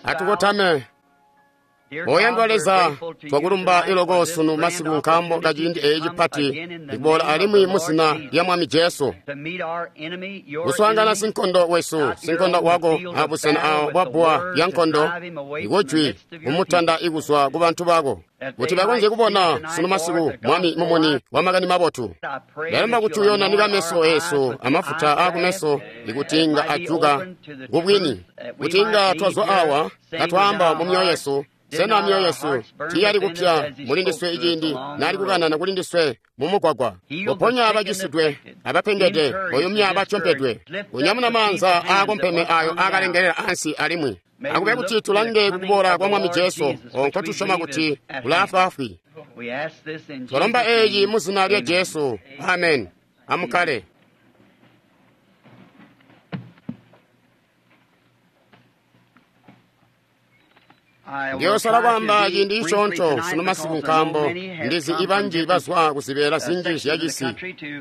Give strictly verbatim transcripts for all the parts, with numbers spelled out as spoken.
Atukotame. Oyandwa Leza, twakulumba iloko sunu masiku nkaambo kaciindi eeci cipati ikuboola alimwi muzina lya Mwami Jesu kuswaangana sinkondo wesu, sinkondo wako abusena awo bwa bbuwa lya nkondo ikujwi kumutanda ikuzwa ku bantu bako kuti bakonzye kubona sunu masiku Mwami mumuni wa makani mabotu. Ndalomba kuti uyonanika meso eesu amafuta aakumeso ikuti inga ajuka kubwini, kuti inga twazwa awa katwaamba mu myoyo yesu, sena myoyo yesu tiyali kupya muli ndiswe iciindi nali kukanana kuli ndiswe mumugwagwa. Uponya abacisidwe abapengede, oyumya abatyompedwe, unyamuna maanza aakompeme ayo aakalengelela ansi alimwi akube kuti tulange kuboola kwa Mwami Jesu onko tusyoma kuti kulaafwaafwi. Twalomba eeci mu zina lya Jesu. Amen. Amukkale. Ndiyosola kwaamba ciindi cisyoonto sunu masiku nkaambo ndizi ibanji bazwa kuzibeela zinji zyacisi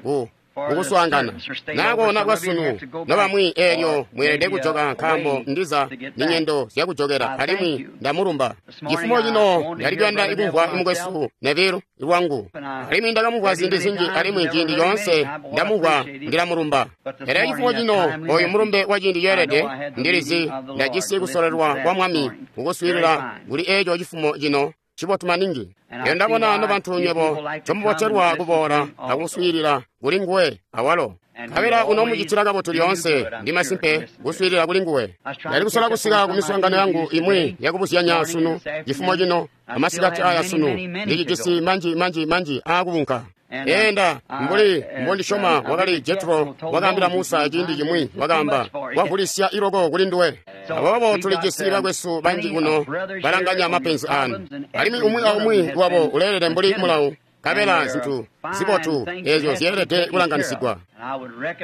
ku kukuswaangana nakoona kwasunu nobamwi eelyo mweelede kujoka nkaambo ndiza ninyendo zyakujokela alimwi ndamulumba. Cifumo cino ndali kuyanda ikumvwa imukwesu Neville lwangu alimwi ndakamumvwa ziindi zinji alimwi ciindi coonse ndamumvwa ndilamulumba. Pele cifumo cino oyu mulumbe wa ciindi ceelede ndilizi ndajisi kusololelwa kwa Mwami kukuswiilila kuli eeco cifumo cino cibotu maningi. Lero ndabona nobantu nywebo comubotelwa kuboola akuswiilila kuli nguwe awalo. Nkabela unomucitila kabotu lyoonse, ndi masimpe kuswiilila kuli nguwe. Ndali kusola kusika ku miswaangano yangu imwi yakubuzyanya sunu cifumo cino amasikati aya sunu ndicijisi manji manji manji aakubunka. Enda mbuli mbondisyoma wakali Jetro wakaambila Musa ciindi cimwi wakaamba wavulisya iloko kuli nduwe. Aboobo tulijisi bakwesu banji kuno balanganya mapenzi aanu alimwi umwi aumwi wabo uleelede mbuli mulawu nkabela zintu zibotu eezyo zyeelede kulanganisigwa.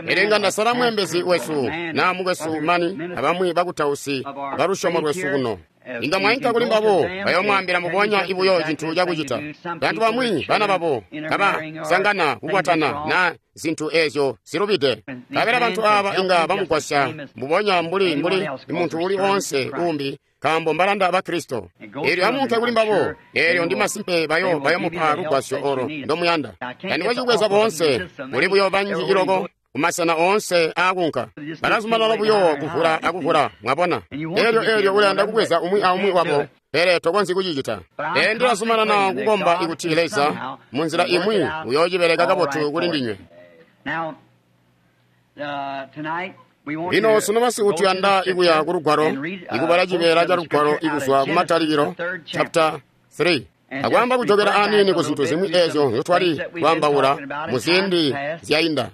Pele nga ndasala mweembezi wesu naa mukwesu mani abamwi bakutausi balusyomo lwesu kuno. Inga mwainka kuli mbabo bayoomwaambila mbubonya ibuyo cintu cakucita. Bantu bamwi bana babo kabasangana kukwatana na zintu eezyo zilubide. Nkabela bantu aaba inga bamugwasya mbubonya mbuli mbuli muntu uli oonse uumbi nkaambo mbalanda ba Kristo. Eelyo amuunke kuli mbabo, eelyo ndi masimpe bayo bayomupa lugwasyo olo ndomuyanda. Tandikocibweza boonse, kuli buyo banji iloko kumasena oonse aakunka. Balazumanana buyo kuvula akuvula, mwabona. Eelyo eelyo ulayanda kubweza umwi aumwi wabo, pele tokonzyi kucicita. Pele ndilazumanana kukomba ikuti Leza munzila imwi uyoocibeleka kabotu kuli ndinywe. Lino sunu masiku tuyanda ikuya ku lugwalo, ikubala cibeela ca lugwalo ikuzwa kumatalikilo chapter three. Akwaamba kujokela aniini ku zintu zimwi eezyo nzyotwali kwaambaula mu ziindi zyainda.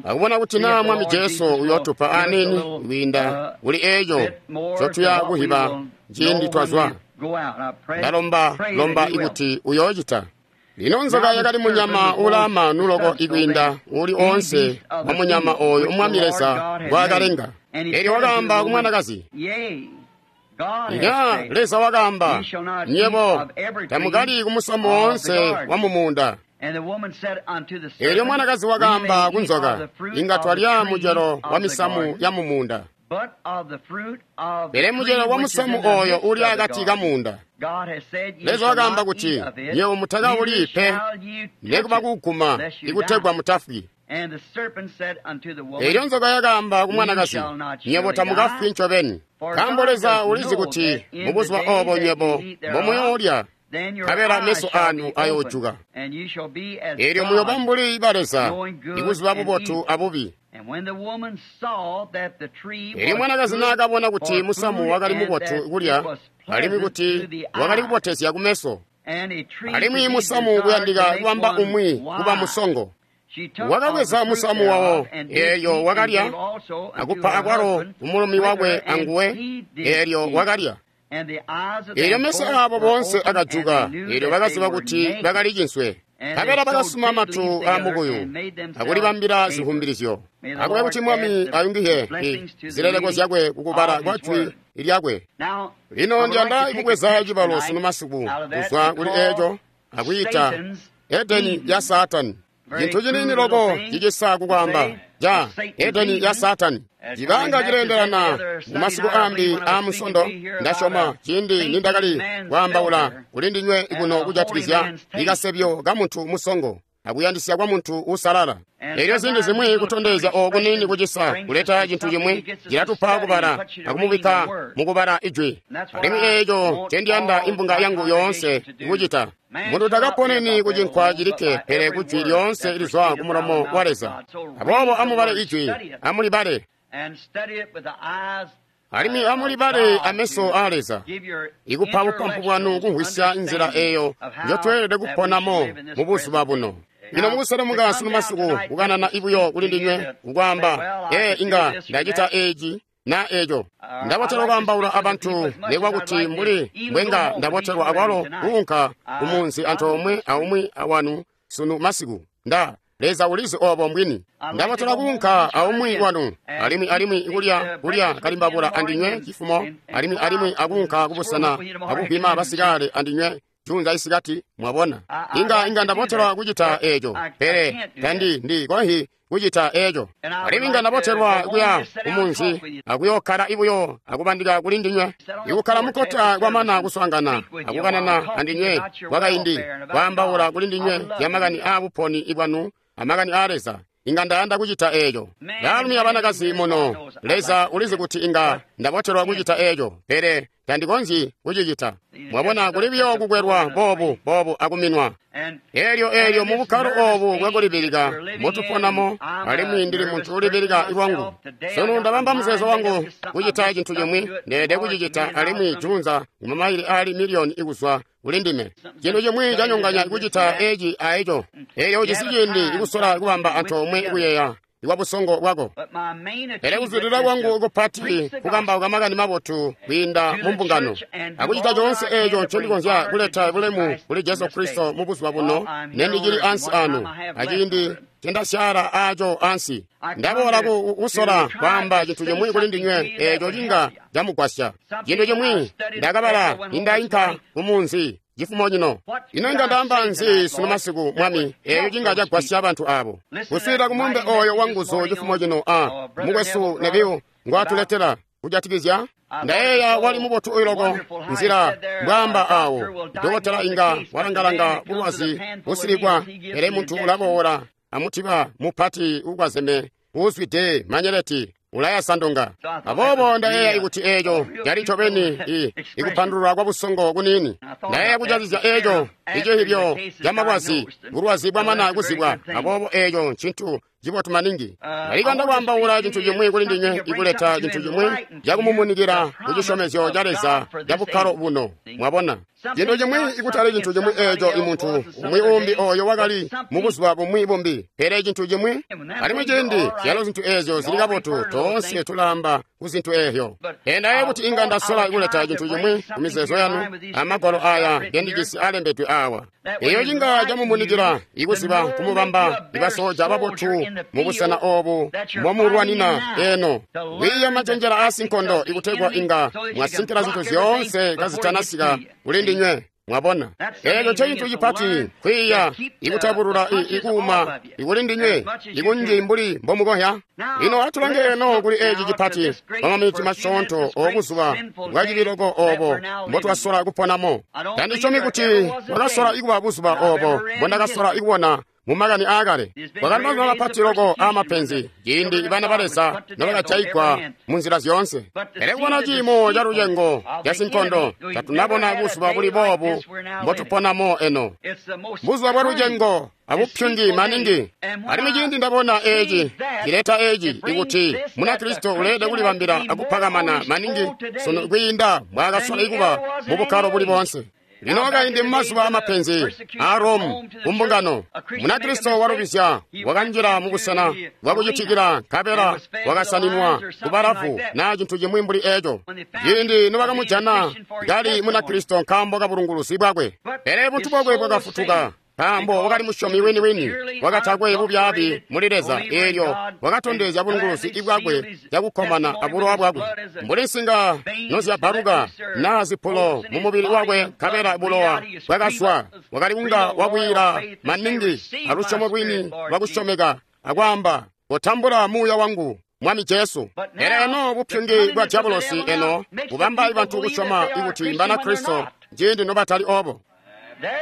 Akubona kuti naa Mwami Jesu uyootupa aniini kwiinda kuli eeco nzyotuya kuhiba ciindi twazwa. Ndalomba lomba ikuti uyoocita. Lino nzoka yakali munyama ulaamaanu loko ikwiinda uli oonse wa munyama oyo Mwami Leza ngwaakalenga. Eelyo wakaamba ku mwanakazi, Nya Leza wakaamba, nywebo tamukalyi kumusamu woonse wa mumuunda. Eelyo mwanakazi wakaamba ku nzoka, inga twalya mucelo wa misamu ya mumuunda. Pele mucelo wa musamu oyo uli akati kamuunda. Leza wakaamba kuti, nywebo mutakawulyi pe, nekuba kuuguma ikutegwa mutafwi. Eelyo nzoka yakaamba ku mwanakazi, nywebo tamukafwi ncobeni. Nkaambo Leza ulizi kuti mubuzuba obo nywebo mbomuyoolya, nkabela meso aanu ayoojuka. Eelyo muyooba mbuli ba Leza, ikuziba bubotu abubi. Eelyo mwanakazi naakabona kuti musamu wakali mubotu kulya, alimwi kuti wakali kubotezya kumeso, alimwi musamu kuyandika kubamba umwi kuba musongo, wakabweza musamu wawo, eelyo wakalya, akupa akwalo kumulumi wakwe anguwe, eelyo wakalya. Eelyo meso aabo boonse akajuka, eelyo bakaziba kuti bakali cinswe. Nkabela bakasuma matu aamukuyu akulibambila zivumbilizyo. Akube kuti Mwami ayungizye zileleko zyakwe kukubala kwa jwi lyakwe. Lino ndiyanda kubweza cibalo sunu masiku kuzwa kuli eeco akwiita Edeni ya Saatani. Cintu ciniini loko cicisa kukwaamba ca Edeni ya Saatani cibanga cileendelana mumasiku ambi aamusondo. Ndasyoma ciindi nindakali kwaambaula kuli ndinywe kuno kujatikizya ikasebyo ka muntu musongo akuyandisya kwa muntu uusalala. Elyo ziindi zimwi kutondezya ooku nini kucisa kuleta cintu cimwi cilatupa kubala akumubikka mukubala ijwi. Alimwi eeco ncendiyanda imbunga yangu yoonse kucita. Muntu takaponeni kucinkwa cilikke, pele kujwi lyoonse lizwa kumulomo wa Leza. Aboobo amubale ijwi, amulibale, alimwi amulibale ameso aa Leza, ikupa bupampu bwanu kumvwisya nzila eeyo njotweelede kuponamo mubuzuba buno. Lino mukuselemuka sunu masiku kukanana ibuyo kuli ndinywe kukwaamba, ee, inga ndacita eeci na eeco. Ndabotelwa kwaambaula abantu nikuba kuti mbuli mbwenga ndabotelwa akwalo kuunka kumunzi antoomwe aumwi awanu sunu masiku. Nda Leza ulizi obo mbwini. Ndabotelwa kuunka aumwi wanu, alimwi alimwi kulya kulya kalimbabula andinywe cifumo, alimwi alimwi akuunka kubusena akugwima basikale andinywe junza isikati. Mwabona, inga inga ndabotelwa kucita eeco, pele tandi ndi konhi kucita eeco. Alimwi inga ndabotelwa kuya kumunzi akuyokkala ibuyo akubandika kuli ndinywe, ikukkala mukota kwamana kuswaangana akukanana andinywe kwakaindi, kwaambaula kuli ndinywe zya makani aabuponi ibwanu amakani aa Leza. Inga ndayanda kucita eeco. Baalumi abanakazi muno, Leza ulizi kuti inga ndabotelwa kucita eeco, pele tandikonzyi kucicita. Mwabona, kuli buyo kukwelwa boobu boobu akuminwa. Elyo elyo mu bukkalo oobu bwakulibilika mbotuponamo, alimwi ndili muntu ulibilika lwangu. Sunu ndabamba muzeezo wangu kucita cintu cimwi, ndeelede kucicita, alimwi junza mumamayili aali miliyoni ikuzwa kuli ndime. Cintu cimwi canyonganya kucita eeci aeco. Elyo ujisi ciindi ikusola kubamba antoomwe kuyeeya kwa busongo bwako. Pele kuzwidilila kwangu kupati kukambauka makani mabotu kwiinda mu mbungano akucita coonse eeco ncendikonzya kuleta bulemu kuli Jesu Kristo mu buzuba buno nendicili ansi ano, aciindi ncendasyaala aaco ansi. Ndaboola kusola kwaamba cintu cimwi kuli ndinywe eeco cinga camugwasya. Cintu cimwi ndakabala nindainka kumunzi cifumo cino. Ino inga ndaamba nzi sunu masiku, Mwami, eeco cinga cagwasya bantu abo kuswiilila kumulumbe oyo wanguzu cifumo cino a mukwesu Neville ngwatuletela kujatikizya? Ndayeeya wali mubotu uyu loko nzila mbwaamba awo. Dokotela inga walangalanga bulwazi busilikwa, pele muntu ulaboola amutiba mupati ukwazeme uuzwide manyeleti ulayasandunga. Aboobo ndayeeya ikuti eeco cali ncobeni ikupandulula kwa busongo kuniini. Ndayeeya kujatikizya eeco icihibyo camalwazi, bulwazi bwamana kuzibwa. Aboobo eeco ncintu cibotu maningi. Ndalikanda kwaambaula cintu cimwi kuli ndinywe ikuleta cintu cimwi cakumumunikila kucisyomezyo ca Leza ca bukkalo buno. Mwabona, cintu cimwi ikutali cintu cimwi eeco imuntu umwi umbi oyo wakali mubuzuba bumwi bumbi, pele cintu cimwi. Alimwi ciindi zyalo zintu eezyo zili kabotu, toonse tulaamba ku zintu eezyo. Endaye kuti inga ndasola kuleta cintu cimwi ku mizeezo yanu amagwalo aya ngendijisi alembedwe awa, eyo cinga camumunikila ikuziba kumubamba ibasoja babotu mubusena obu momulwanina eno, kwiiya macenjela aasinkondo ikutegwa inga mwasinkila zintu zyoonse kazitanasika kuli ndinywe. Mwabona, eeco ncecintu cipati, kwiiya ikutabulula ikuuma ikuli ndinywe ikunji mbuli mbomukohya. Lino atulange eno kuli eeci cipati kwamaminiti masyoonto obuzuba bwacililoko obo mbotwasola kuponamo. Tandisyomi kuti bwakasola ikuba buzuba obo mbondakasola ikubona mumakani aakale. Kwakali mazuba mapati loko aamapenzi ciindi bana ba Leza nobakajaigwa munzila zyoonse. Pele kubona ciimo calucengo casinkondo, tatunabona buzuba buli boobu mbotuponamo eno. Buzuba bwa lucengo abupyungi maningi. Alimwi ciindi ndabona eeci cileta eeci ikuti Munakristo uleelede kulibambila akupakamana maningi sunu kwiinda mbwaakasola ikuba mubukkalo buli boonse. Lino kaindi mumazuba amapenzi a Rome kumbungano, Munakristo walubizya wakanjila mubusena bwakucitikila nkabela wakasaninwa kubalavu naa cintu cimwi mbuli eeco. Ciindi nobakamujana kali Munakristo nkaambo kabulunguluzi bwakwe, pele buntu bwakwe bwakafutuka. Nkaambo wakali musyomi wini-wini, wakatakwe bubyaabi muli Leza, eelyo wakatondezya bulunguluzi bwakwe cakukkomana abulowa bwakwe. Mbuli nsinga nozyabbaluka naa zipulo mumubili wakwe nkabela bulowa bwakazwa, wakali kunga wakwiila maningi alusyomo lwini lwakusyomeka akwaamba, "Kotambula muuya wangu, Mwami Jesu." Pele eno bupyungi bwa diabolosi eno bubamba bantu kusyoma ikuti mbana Kristo ciindi nobatali obo.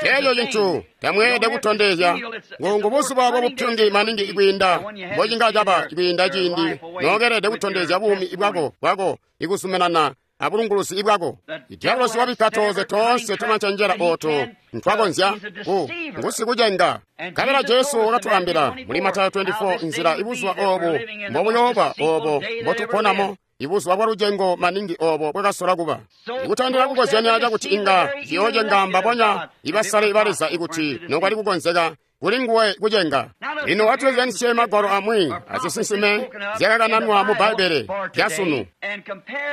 Ceeco cintu tamweelede kutondezya ngu buzuba bwabupyungi maningi kwiinda mbocinga caba kwiinda ciindi nookelede kutondezya buumi bwako bwako ikuzuminana abulunguluzi bwako. Diabolosi wabikka tooze toonse tumancenjela ooto ntwakonzya ku ngusikucenga. Nkabela Jesu wakatwaambila muli Matayo makumi aali ane nzila ibuzuba oobu mbobuyooba oobo mbotuponamo, ibuzuba bwalucengo maningi oobo bwakasola kuba. Ikutandila kukozyanya cakuti inga ciyoocenga mbabonya ibasale ba Leza ikuti nokwali kukonzeka kuli nguwe kucenga. Lino atweezyanisye magwalo amwi azisinsime zyakakananwa mu Bbaibbele lyasunu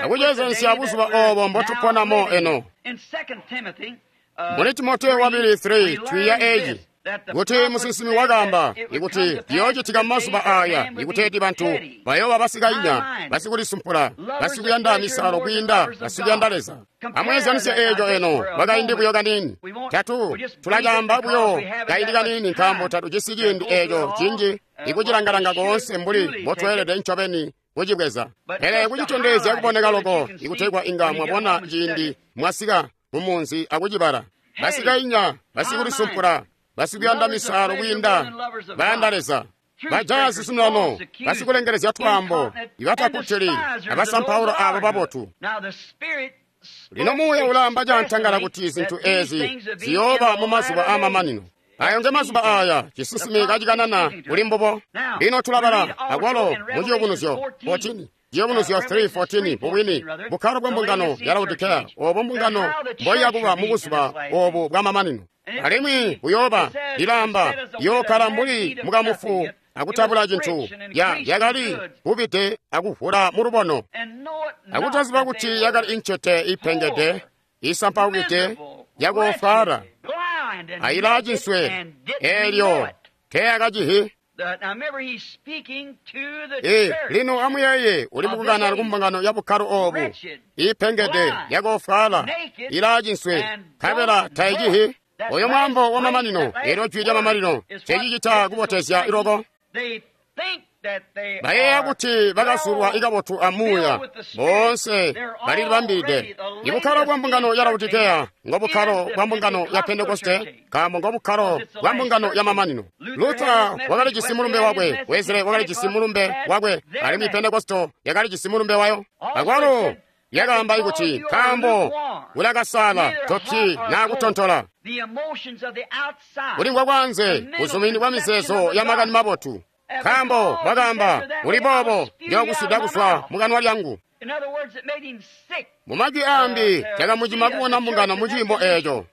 akuceezyanisya buzuba oobo mbotuponamo eno. Muli Timoteyo wabili three twiiya eeci kuti musinsimi wakaamba ikuti ciyoocitika mumazuba aaya ikuteeti bantu bayooba basikainya, basikulisumpula, basikuyanda misalo kwiinda basikuyanda Leza. Amweezyanisye eeco eno bwakaindi buyo kaniini. Tatu tulacaamba buyo kaindi kaniini nkaambo tatujisi ciindi eeco cinji ikucilangalanga koonse mbuli mbotweelede ncobeni kucibweza, pele kucitondezya kuboneka loko ikutegwa inga mwabona ciindi mwasika mumunzi akucibala. Basikainya, basikulisumpula, basikuyanda misalo kwiinda bayanda Leza, bajaya zizuminano, basikulengelezya twaambo, ibatakutili, abasampaula aabo babotu. Lino Muuya ulaamba cantangala kuti zintu eezi ziyooba mumazuba aamamanino. Ayo nge mazuba aaya cisinsime kacikanana kuli mbubo. Lino tulabala akwalo mu Ciyubunuzyo fourteen, Ciyubunuzyo three fourteen mubwini bukkalo bwa mbungano ya Laodikeya, oobo mbungano mboiyakuba mubuzuba oobu bwamamanino. Alimwi buyooba, lilaamba, yookkala mbuli mukamufu akutabula cintu, ya yakali bubide akuvula mulubono, akutaziba kuti yakali incete ipengede, isampaukide, yakoofwaala, ayilaa cinswe, eelyo teyakacihi. E, lino amuyeeye uli mukukanana kumbungano ya bukkalo oobu ipengede, yakoofwaala, ilaa cinswe, nkabela tayicihi. Oyo mwambo wa mamanino, eelyo jwi lya mamanino, cecicita kubotezya iloko. Bayeeya kuti bakazulwa ikabotu amuuya, boonse balilibambide. Ibukkalo bwa mbungano ya Laodikeya ngo bukkalo bwa mbungano ya Pentekoste, nkaambo ngo bukkalo bwa mbungano ya mamanino. Luther wakalijisi mulumbe wakwe, Wesley wakalijisi mulumbe wakwe, alimwi Pentekoste yakalijisi mulumbe wayo. Akwalo yakaamba ikuti nkaambo ulakasala topyi naa kutontola. Kulimvwa kwanze buzumini bwa mizeezo ya makani mabotu. Nkaambo wakaamba uli boobo ndiyokuswida kuzwa mukanwa lyangu. Mumajwi aambi cakamucima kubona mbungano mu ciimo eeco.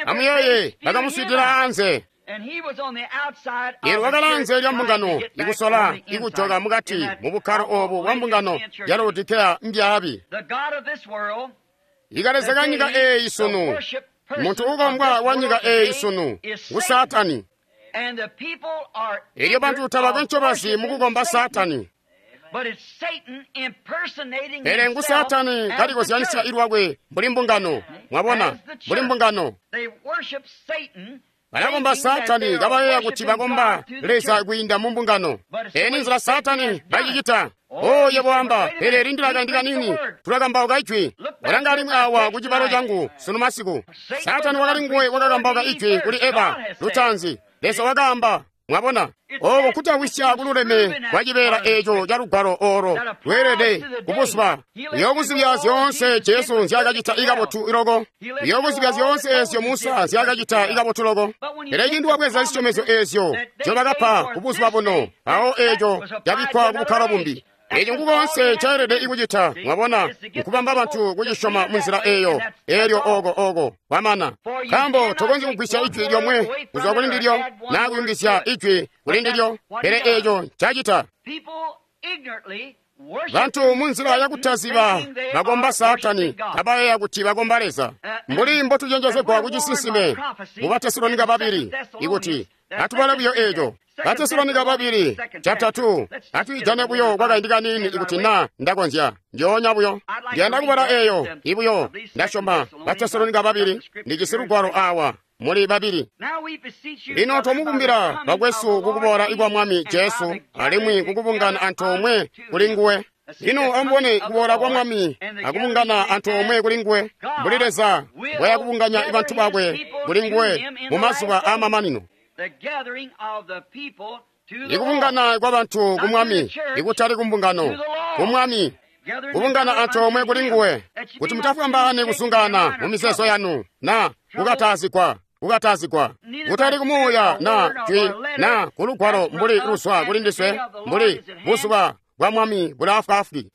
Amuyeeye bakamuswidila anze. Eelyo wakalaanze lya mbungano ikusola ikujoka mukati mu bukkalo oobu bwa mbungano ya Laodikeya mbyaabi. Ikaleza kanyika eeyi sunu, muntu uukombwa wa nyika eeyi sunu ngu Saatani. Eelyo bantu tabakwe ncobazi mukukomba Saatani. Pele ngu Saatani kalikozyanisya ilwakwe mbuli mbungano, mwabona, mbuli mbungano. Balakomba Saatani kabayeeya kuti bakomba Leza kwiinda mu mbungano. Eeni nzila Saatani bacicita. O yebo amba, pele lindila kaindi kaniini, tulakambauka ijwi. Walanga alimwi awa ku cibalo changu sunu masiku. Saatani wakali nguwe wakakambauka ijwi kuli Eva lutaanzi. Leza wakaamba, mwabona, ooko kutawisya kululeme kwa cibeela eeco ca lugwalo oolo lweelede kubuzuba. Uyookuzibya zyoonse Jesu nzyaakacita ikabotu iloko. Uyookuzibya zyoonse eezyo Musa nzyaakacita ikabotu loko. Pele ciindi wabweza zisyomezyo eezyo nzyobakapa kubuzuba buno, mpawo eeco cabikkwa kubukkalo bumbi. Eeco nkukoonse caelede ikucita, mwabona, nkubamba bantu kucisyoma munzila eeyo, eelyo ooko ooko kwamana. Nkaambo tokonzyi kugwisya ijwi lyomwe kuzwa kuli ndilyo, naa kuyungizya ijwi kuli ndilyo, pele eeco ncacita. Bantu munzila yakutaziba bakomba Saatani kabayeeya kuti bakomba Leza. Mbuli mbotucenjezegwa kucisinsime mu Batesalonika babili ikuti atubale buyo eeco. Batesalonika babili chapter two atwijane buyo kwakaindi kaniini ikuti na ndakonzya njoonya buyo. Ndiyanda kubala eeyo ibuyo ndasyoma Batesalonika babili ndijisi lugwalo awa muli babili. Lino twamukumbila bakwesu kukuboola ikwa Mwami Jesu alimwi kukubungana antoomwe kuli nguwe. Lino amubone kuboola kwa Mwami akubungana antoomwe kuli nguwe, mbuli Leza mbwayakubunganya bantu bakwe kuli nguwe mu mazuba aamamanino. Ikubungana kwa bantu ku Mwami, ikutali kumbungano, ku Mwami. Kubungana antoomwe kuli nguwe, kuti mutafwambaani kusungana mu mizeezo yanu na kukataazigwa kukataazigwa kutali kumuuya na jwi na kulugwalo mbuli luzwa kuli ndiswe, mbuli buzuba bwa Mwami bulaafwaafwi.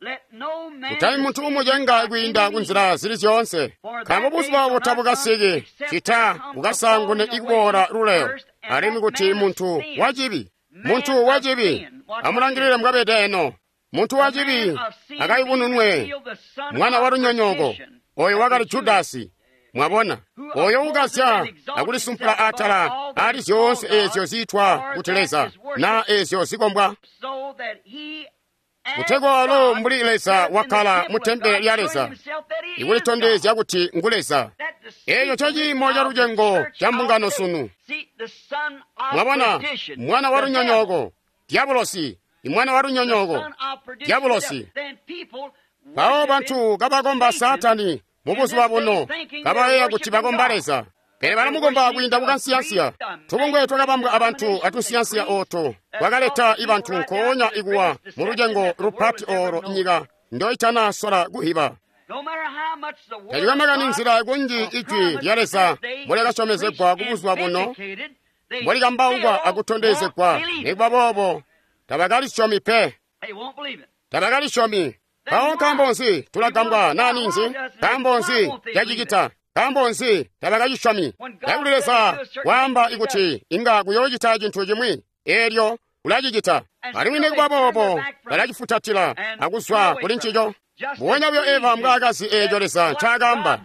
Kutali muntu umucenga kwiinda kunzila zili zyoonse, nkaambo buzuba obo tabukasiki cita bukasaangune ikuboola luleyo, alimwi kuti muntu wacibi, muntu wacibi, amulangilile mbwabede eno. Muntu wacibi akayubununwe, mwana wa lunyonyooko, oyo wakali Judasi. Mwabona, oyo ukazya akulisumpula atala ali zyoonse eezyo ziitwa kuti Leza na eezyo zikombwa, kutegwa walo mbuli Leza wakkala mu tempele lya Leza, ikulitondezya kuti ngu Leza. Eeyo nceciimo ca lucengo ca mbungano sunu. Mwabona, mwana wa lunyonyooko, Diabolosi, imwana wa lunyonyooko, Diabolosi. Mpawo bantu kabakomba Saatani mubuzuba buno, kabayeeya kuti bakomba Leza, pele balamukomba kwiinda kukansiyansiya. Tubungwe twakabambwa abantu atunsiyansiya ooto twakaleta ibantu nkoonya ikuwa mu lucengo lupati oolo nyika ndoitanasola kuhiba. Tacikwe makani nzila kunji ijwi lya Leza mbolyakasyomezegwa kubuzuba buno, mbolikambawukwa akutondezegwa, nikuba boobo tabakalisyomi pe, tabakalisyomi. Mpawo nkaambo nzi tulagambwa naa ninzi? Nkaambo nzi cacicita? Nkaambo nzi tabakacisyomi? Kakuli Leza waamba ikuti inga kuyoocita cintu cimwi, eelyo ulacicita. Alimwi nikuba boobo balacifutatila akuzwa kuli ncico. Mbubonya buyo Eva mbwaakazi eeco Leza ncaakaamba,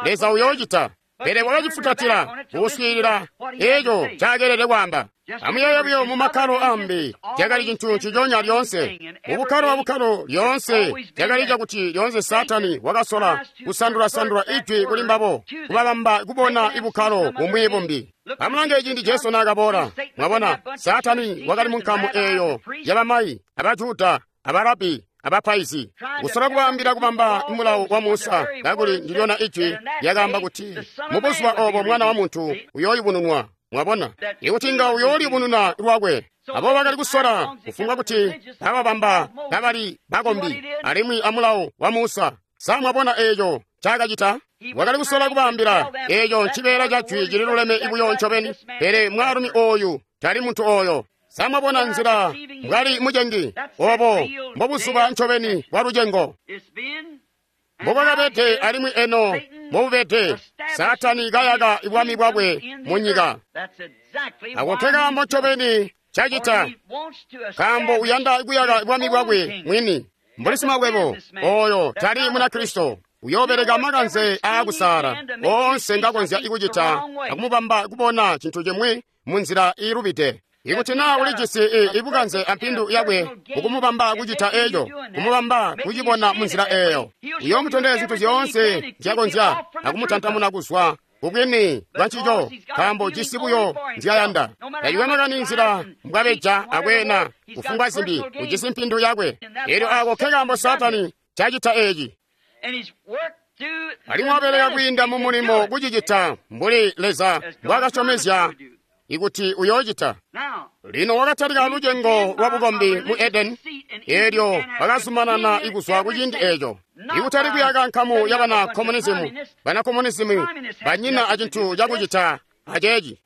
Leza uyoocita. Pele wakacifutatila kukuswiilila eeco ncakeelede kwaamba. Amuyeeye buyo mu makkalo ambi, cakali cintu nciconya lyoonse. Mu bukkalo abukkalo lyoonse cakali cakuti lyoonse Saatani wakasola kusandula-sandula ijwi kuli mbabo, kubabamba kubona ibukkalo bumwi bumbi. Amulange ciindi Jesu naakaboola. Mwabona, Saatani wakali mu nkamu eeyo yabamayi, abajuda, abarabi, abapaizi, kusola kubaambila kubamba mulawo wa Musa, kakuli ndilyona ijwi lyakaamba kuti mubuzuba obo Mwana wa Muntu uyooyubununwa. Mwabona, ikuti nga uyooliyubununa lwakwe. Abo bakali kusola kufumbwa kuti bababamba kabali bakombi alimwi amulawo wa Musa. Sa mwabona eeco ncaakacita? Wakali kusola kubaambila eeco ncibeela ca jwi cililuleme ibuyo ncobeni, pele mwaalumi ooyu tali muntu ooyo. Sa mwabona nzila mbwali mucengi? Obo mbobuzuba ncobeni bwa lucengo. Mbobwakabede alimwi eno mbobubede, Saatani kayaka bwami bwakwe munyika. Ako nkekaambo ncobeni cacita, nkaambo uyanda kuyaka bwami bwakwe mwini. Mbuli simakwebo oyo tali Munakristo, uyoobeleka makanze aakusaala oonse ngakonzya kucita akumubamba kubona cintu cimwi munzila iilubide. Ikuti naa ulijisi ibukanze ampindu yakwe mukumubamba kucita eeco, kumubamba kucibona munzila eeyo, uyoomutondezya zintu zyoonse nzyakonzya akumutantamuna kuzwa kubwini bwa ncico, nkaambo jisi buyo nzyayanda. Tacikwe makani nzila mbwabeja akweena kufumbwa zimbi, ujisi mpindu yakwe. Eelyo aako nkekaambo Saatani cacita eeci. Alimwi wabeleka kwiinda mu mulimo kucicita mbuli Leza mbwaakasyomezya ikuti uyoocita. Lino wakatalika lucengo lwa bukombi mu Edeni, eelyo bakazumanana ikuzwa kuciindi eeco. Ikutali kuyaka nkamu ya bana komunizimu, bana komunizimu banyina acintu cakucita aceeci.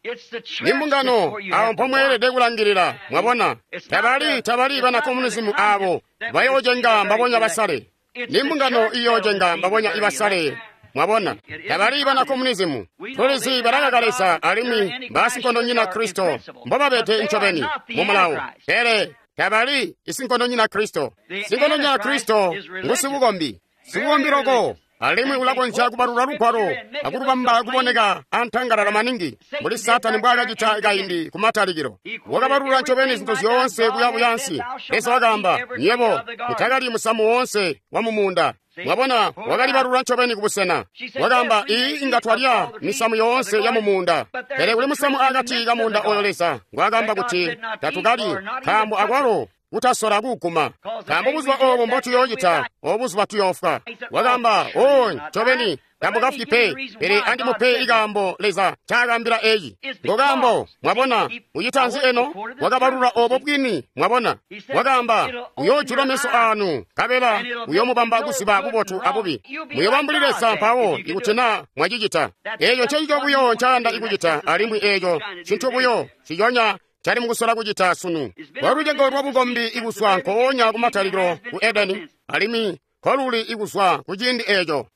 Ni mbungano awo mpomweelede kulangilila, mwabona. Tabali tabali bana komunizimu aabo bayoocenga mbabonya basale. Ni mbungano iyoocenga mbabonya ibasale. Mwabona, tabali bana komunizimu. Tulizi balakaka Leza alimwi basinkondonyina Kristo mbobabede ncobeni mu mulawo, pele Tabali isinkondonyina Kristo. Sinkondonyina Kristo ngu sibukombi, sibukombi loko, alimwi ulakonzya kubalula lugwalo akulubamba kuboneka antangalala maningi mbuli Saatani mbwaakacita kaindi kumatalikilo. Wakabalula ncobeni zintu zyoonse kuya buyansi. Leza wakaamba, "Nyebo mutakalyi musamu woonse wa mumuunda." Mwabona, wakalibalula ncobeni kubusena. Wakaamba, "Iyi inga twalya misamu yoonse ya mumuunda, pele kuli musamu akati ka muunda oyo Leza ngwaakamba kuti tatukalyi, nkaambo akwalo kutasola kuuguma, nkaambo buzuba obo mbotuyoocita, obo buzuba tuyoofwa." Wakaamba, "O ncobeni tamukafwi pe, pele andimupe ikaambo Leza ncaakaambila eeci." Ngokaambo, mwabona, ucitanzi eno? Wakabalula obo bwini, mwabona. Wakaamba, "Uyoojula meso aanu, nkabela uyoomubamba kuziba bubotu abubi. Muyooba mbuli Leza mpawo ikuti na mwacicita." Eeco ncencico buyo ncayanda ikucita, alimwi eeco cintu buyo ciconya cali mukusola kucita sunu. Lwalucengo lwabukombi ikuzwa nkoonya kumatalikilo ku Edeni, alimwi nkoluli ikuzwa ku ciindi eeco.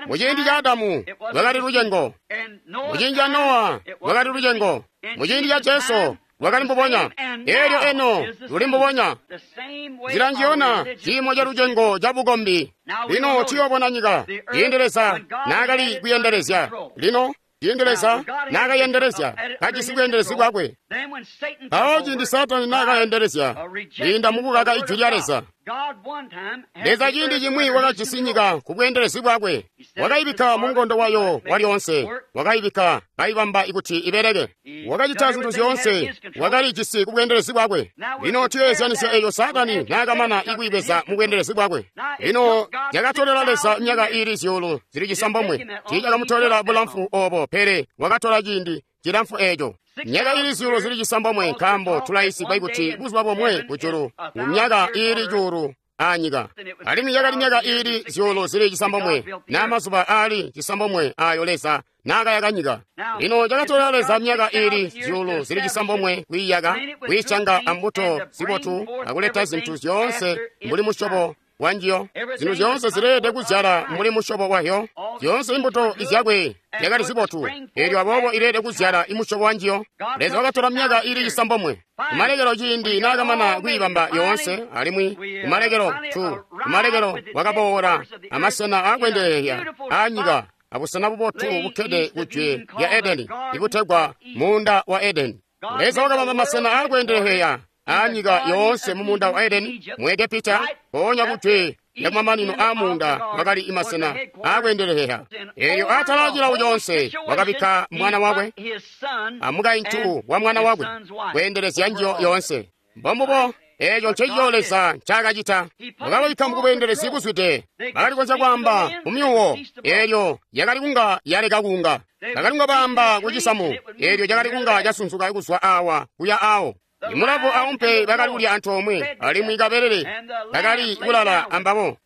Mu ciindi ca Adamu lwakali lucengo, mu ciindi ca Nowa lwakali lucengo, mu ciindi ca Jesu lwakali mbubonya, eelyo eno luli mbubonya. Nzila njiyona ciimo ca lucengo ca bukombi. Lino tuyoobona nyika ciindi Leza naakali kuyendelezya. Lino ciindi Leza naakayendelezya, kajisi bweendelezi bwakwe. Mpawo ciindi Saatani naakayendelezya kwiinda mukukaka ijwi lya Leza, Leza ciindi cimwi wakajisi nyika ku bweendelezi bwakwe. Wakayibikka mungondo wayo walyoonse, wakayibikka kayibamba ikuti ibeleke. Wakacita zintu zyoonse, wakalijisi ku bweendelezi bwakwe. Lino tuyeezyanisya eeyo Saatani naakamana ikuyibweza mu bweendelezi bwakwe. Lino yakatolela Leza myaka iili zyuulu zili cisambomwe. Tiicakamutolela bulamfu obo, pele wakatola ciindi cilamfu eeco. Myaka iili zyuulu zili cisambomwe, nkaambo tulayisigwa kuti buzuba bomwe kujulu myaka iili cuulu aanyika. Alimwi yakali myaka iili zyuulu zili cisambomwe na mazuba aali cisambomwe aayo Leza naakayaka nyika. Lino cakatolela Leza myaka iili zyuulu zili cisambomwe kwiiyaka, kwiisyanga ambuto zibotu akuleta zintu zyoonse mbuli musyobo wanjiyo. Zintu zyoonse zileelede kuzyala mbuli musyobo wayo. Zyoonse imbuto izyakwe zyakali zibotu, eelyo aboobo ileelede kuzyala imusyobo wanjiyo. Leza wakatola myaka iili cisambomwe. Kumalekelo ciindi naakamana kwiibamba yoonse, alimwi kumalekelo tu kumalekelo wakaboola amasena aakwendelehya aanyika, abusena bubotu bukkede kujwe lya Edeni, ibutegwa muunda wa Edeni. Leza wakabamba masena aakwendelehya aanyika yoonse mumuunda wa Edeni mu Egepita, mpoonya kujwe lyakumamanino aamuunda wakali imasena aakweendelehya. Eelyo atala acilawo coonse wakabikka mwana wakwe amukaintu wa mwana wakwe kweendelezya njiyo yoonse. Mbombubo eeco ncencico Leza ncaakacita. Wakababikka mubweendelezi buzwide. Bakali konzya kwaamba kumyuwo, eelyo yakali kunga yaleka kuunga. Bakali kunga baamba kucisamu, eelyo cakali kunga casunzuka kuzwa aawa kuya aawo. Imulavu aumpe bakali kulya antoomwe, alimwi kabelele bakali kulala ambabo.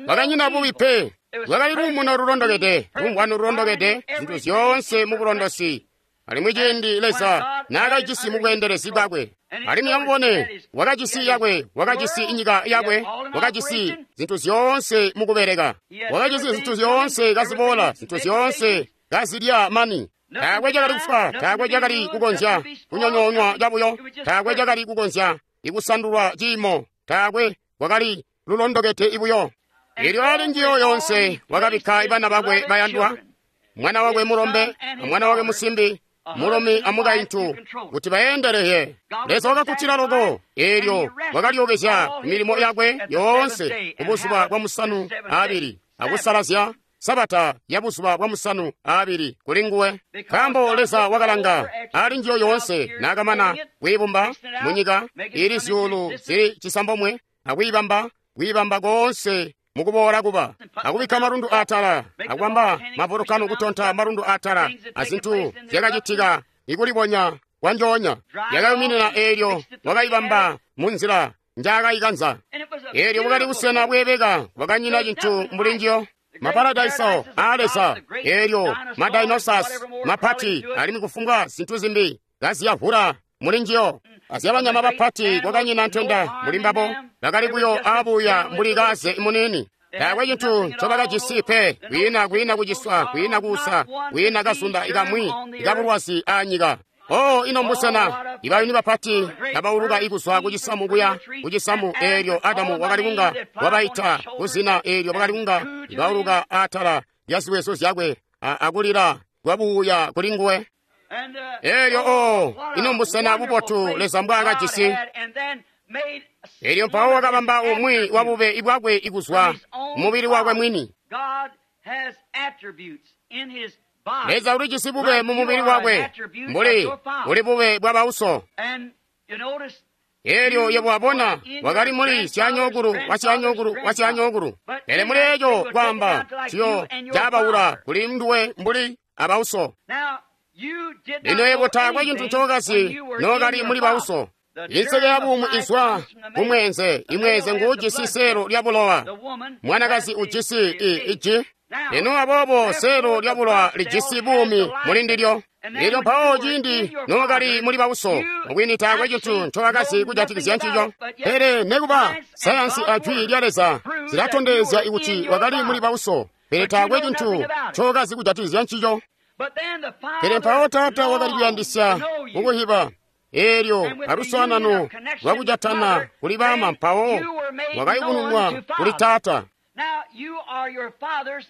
Bakanyina bubi pe. Lwakali luumuno lulondokede, lumvwano lulondokede, zintu zyoonse mubulondosi. Alimwi ciindi Leza naakajisi mubweendelezi bwakwe, alimwi amubone, wakajisi yakwe, wakajisi inyika yakwe, wakajisi zintu zyoonse mukubeleka, wakajisi zintu zyoonse kaziboola, zintu zyoonse kazilya mani. Taakwe cakali kufwa, taakwe cakali kukonzya kunyonyoonwa cabuyo, taakwe cakali kukonzya ikusandulwa ciimo, taakwe kwakali lulondokede ibuyo. Eelyo ali njiyo yoonse wakabikka bana bakwe bayandwa, mwana wakwe mulombe amwana wakwe musimbi, mulumi amukaintu, kuti bayendelehye. Leza wakakkutila loko, eelyo wakalyokezya milimo yakwe yoonse kubuzuba bwa musanu aabili, akusalazya Sabata ya buzuba bwa musanu aabili kuli nguwe. Nkaambo Leza wakalanga ali njiyo yoonse naakamana kwiibumba munyika iili zyuulu zili cisambomwe, akwiibamba kwiibamba koonse mukuboola kuba, akubikka malundu atala, akubamba mavolokano kutonta malundu atala, azintu zyakacitika ikulibonya kwanjoonya. Yakayuminina eelyo wakayibamba munzila njaakayikanza. Eelyo bwakali busena bweebeka, bwakanyina cintu mbuli njiyo. Maparadaiso aa Leza, eelyo madainosasi mapati alimwi kufumbwa zintu zimbi kaziyavula muli njiyo. Azyabanyama bapati kwakanyina ntenda muli mbabo, bakali buyo aabuya mbuli kaaze muniini. Taakwe cintu ncobakajisi pe, kwiina kwiina kuciswa, kwiina kuusa, kwiina kasunda ikamwi ikabulwazi aanyika. Oh, ino mbusena ibayuni bapati kabauluka ikuzwa kucisamu kuya kucisamu eelyo Adamu wakali kunga wabaita kuzina eelyo bakali kunga bauluka atala lya ziwezo zyakwe akulila kwabuuya kuli nguwe. Eelyo oh, ino mbusena bubotu Leza mbwaakajisi. Eelyo mpawo wakabamba umwi wabube ibwakwe ikuzwa mubili wakwe mwini. Leza ulijisi bube mu mubili wakwe mbuli uli bube bwa bauso. Eelyo yebo wabona wakali muli syanyokulu wa syanyokulu wa syanyokulu, pele muli eco kwaamba ciyo cabaula kuli nduwe mbuli abauso. Lino yebo taakwe cintu ncokazi nookali muli bauso. Inseke ya buumi izwa kumweenze, imweenze nguujisi seelo lya bulowa, mwanakazi ujisi i iji. Lino aboobo seelo lya bulowa lijisi buumi muli ndilyo. Elyo mpawo ciindi nookali muli bauso, mubwini taakwe cintu ncowakazi kujatikizya ncico. Pele nekuba sayansi a Jwi lya Leza zilatondezya kuti wakali muli bauso, pele taakwe cintu ncokazi kujatikizya ncico. Pele mpawo Taata wakali kuyandisya kukuhiba. Eelyo aluswaanano lwakujatana kuli baama mpawo wakayubununwa kuli Taata.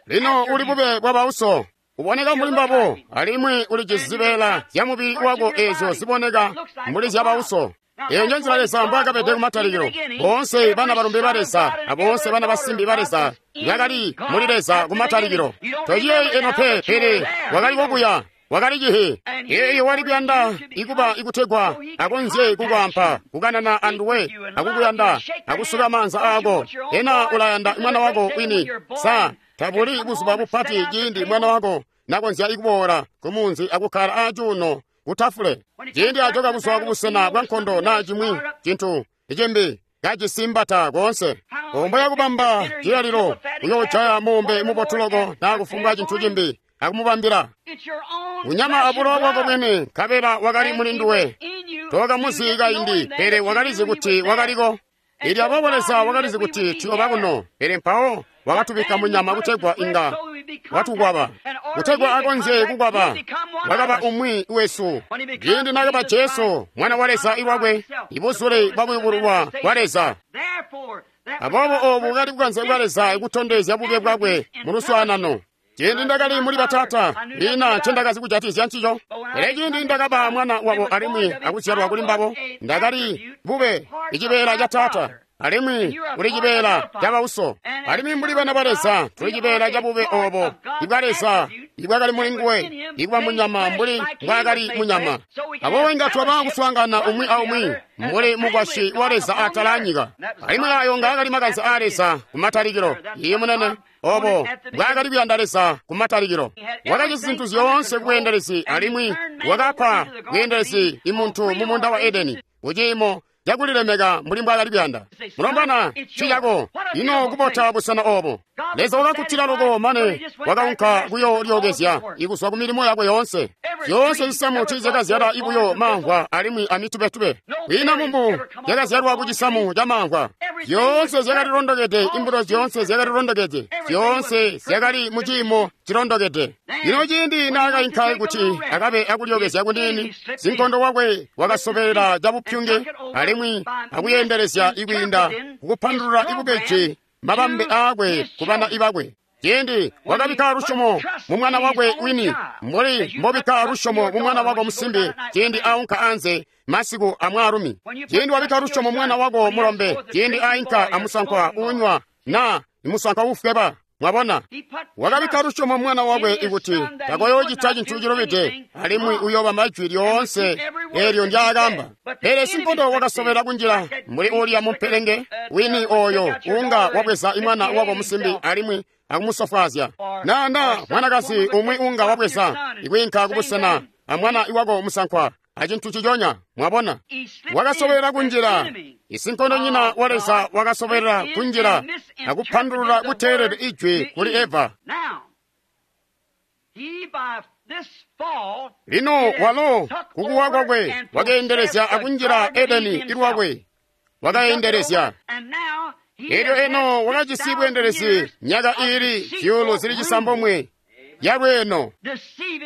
Lino uli bube bwa bauso, uboneka mbuli mbabo, alimwi ulijisi zibeela zya mubili wako eezyo ziboneka mbuli zya bauso. Eyo nje nzila Leza mbwaakabede kumatalikilo. Boonse bana balombe ba Leza aboonse bana basimbi ba Leza bakali muli Leza kumatalikilo. Tociyeeyi eno pe, pele wakali kokuya. Wakali cihi eeyo wali kuyanda ikuba ikutegwa akonzye kukwaampa kukanana anduwe akukuyanda akusuka maanza aako. Ena ulayanda mwana wako wini sa tabuli buzuba bupati ciindi mwana wako nakonzya ikuboola kumunzi akukkala acuuno kutafule ciindi ajoka kuzwa kubusena bwa nkondo naa cimwi cintu icimbi kajisi koonse. Ombo yakubamba cilalilo uyoojaya muumbe mubotu loko naa kufumbwa cintu cimbi akumubambila unyama abulowa bwako bwini, nkabela wakali muli nduwe. Tookamuzi kaindi, pele wakalizi kuti wakaliko. Ilyo aboobo Leza wakalizi kuti tuyooba kuno, pele mpawo wakatubikka munyama kutegwa inga watukwaba, kutegwa akonzye kukwaba. Wakaba umwi wesu ciindi nakaba Jesu mwana wa Leza iwakwe, ibuzule bwakuyubululwa kwa Leza. Aboobo oobu bwakali bukanze bwa Leza ikutondezya bube bwakwe mu luswaanano. Ciindi ndakali muli bataata, lina ncendakazi kujatikizya ncico. Pele ciindi ndakaba mwana wabo alimwi akuzyalwa kuli mbabo, ndakali bube icibeela ca taata, alimwi uli cibeela ca bauso. Alimwi mbuli bana ba Leza, tuli cibeela ca bube oobo ibwa Leza ibwakali muli nguwe, ikuba munyama mbuli mbwaakali munyama. Aboobo inga twaba kuswaangana umwi aumwi mbuli mukwasyi wa Leza atala anyika. Alimwi ayo ngaakali makanze aa Leza kumatalikilo. Iye munene. Obo mbwaakali kuyanda Leza kumatalikilo. Wakajisi zintu zyoonse kubweendelezi, alimwi wakapa bweendelezi imuntu mu munda wa Edeni kuciimo cakulilemeka mbuli mbwaakali kuyanda. Mulombwana, cicako ino kubota busena obo. Leza wakakutila loko mane wakaunka kuyoolyookezya ikuzwa ku milimo yakwe yoonse. Zyoonse zisamu tiizyakazyala ibuyo maamvwa alimwi amitubetube. Kwiina mumbu yakazyalwa ku cisamu ca maamvwa. Zyoonse zyakalilondokede, imbuto zyoonse zyakalilondokede, zyoonse zyakali mu ciimo cilondokede. Lino ciindi naakainka kuti akabe akulyookezya kuniini, sinkondo wakwe wakasobelela cabupyunge alimwi akuyeendelezya ikwiinda kukupandulula ibubeji mabambe aakwe kubana ibakwe. Ciindi wakabikka lusyomo mu mwana wakwe wini, mbuli mbobikka lusyomo mu mwana wako musimbi ciindi aunka anze masiku amwaalumi. Ciindi wabikka lusyomo mu mwana wako mulombe ciindi ainka amusankwa uunywa naa imusankwa uufweba. Mwabona, wakabikka lusyomo mwana wakwe ikuti takoyoocita cintu cilubide, alimwi uyooba majwi lyoonse eelyo ndyaakamba. Pele sinkondo wakasobela kunjila mbuli uulya mumpelenge wini ooyo uunga wabweza imwana wako musimbi alimwi akumusofwaazya, naa naa mwanakazi umwi uunga wabweza ikwiinka kubusena amwana iwako musankwa acintu ciconya. Mwabona, wakasobela kunjila. Isinkondonyina wa Leza wakasobela kunjila akupandulula kuteelede ijwi kuli Eva. Lino walo kukuwa kwakwe wakeendelezya akunjila Edeni ilwakwe, wakeendelezya. Elyo eno wakajisi bweendelezi myaka iili zyuulu zili cisambomwe yalweeno,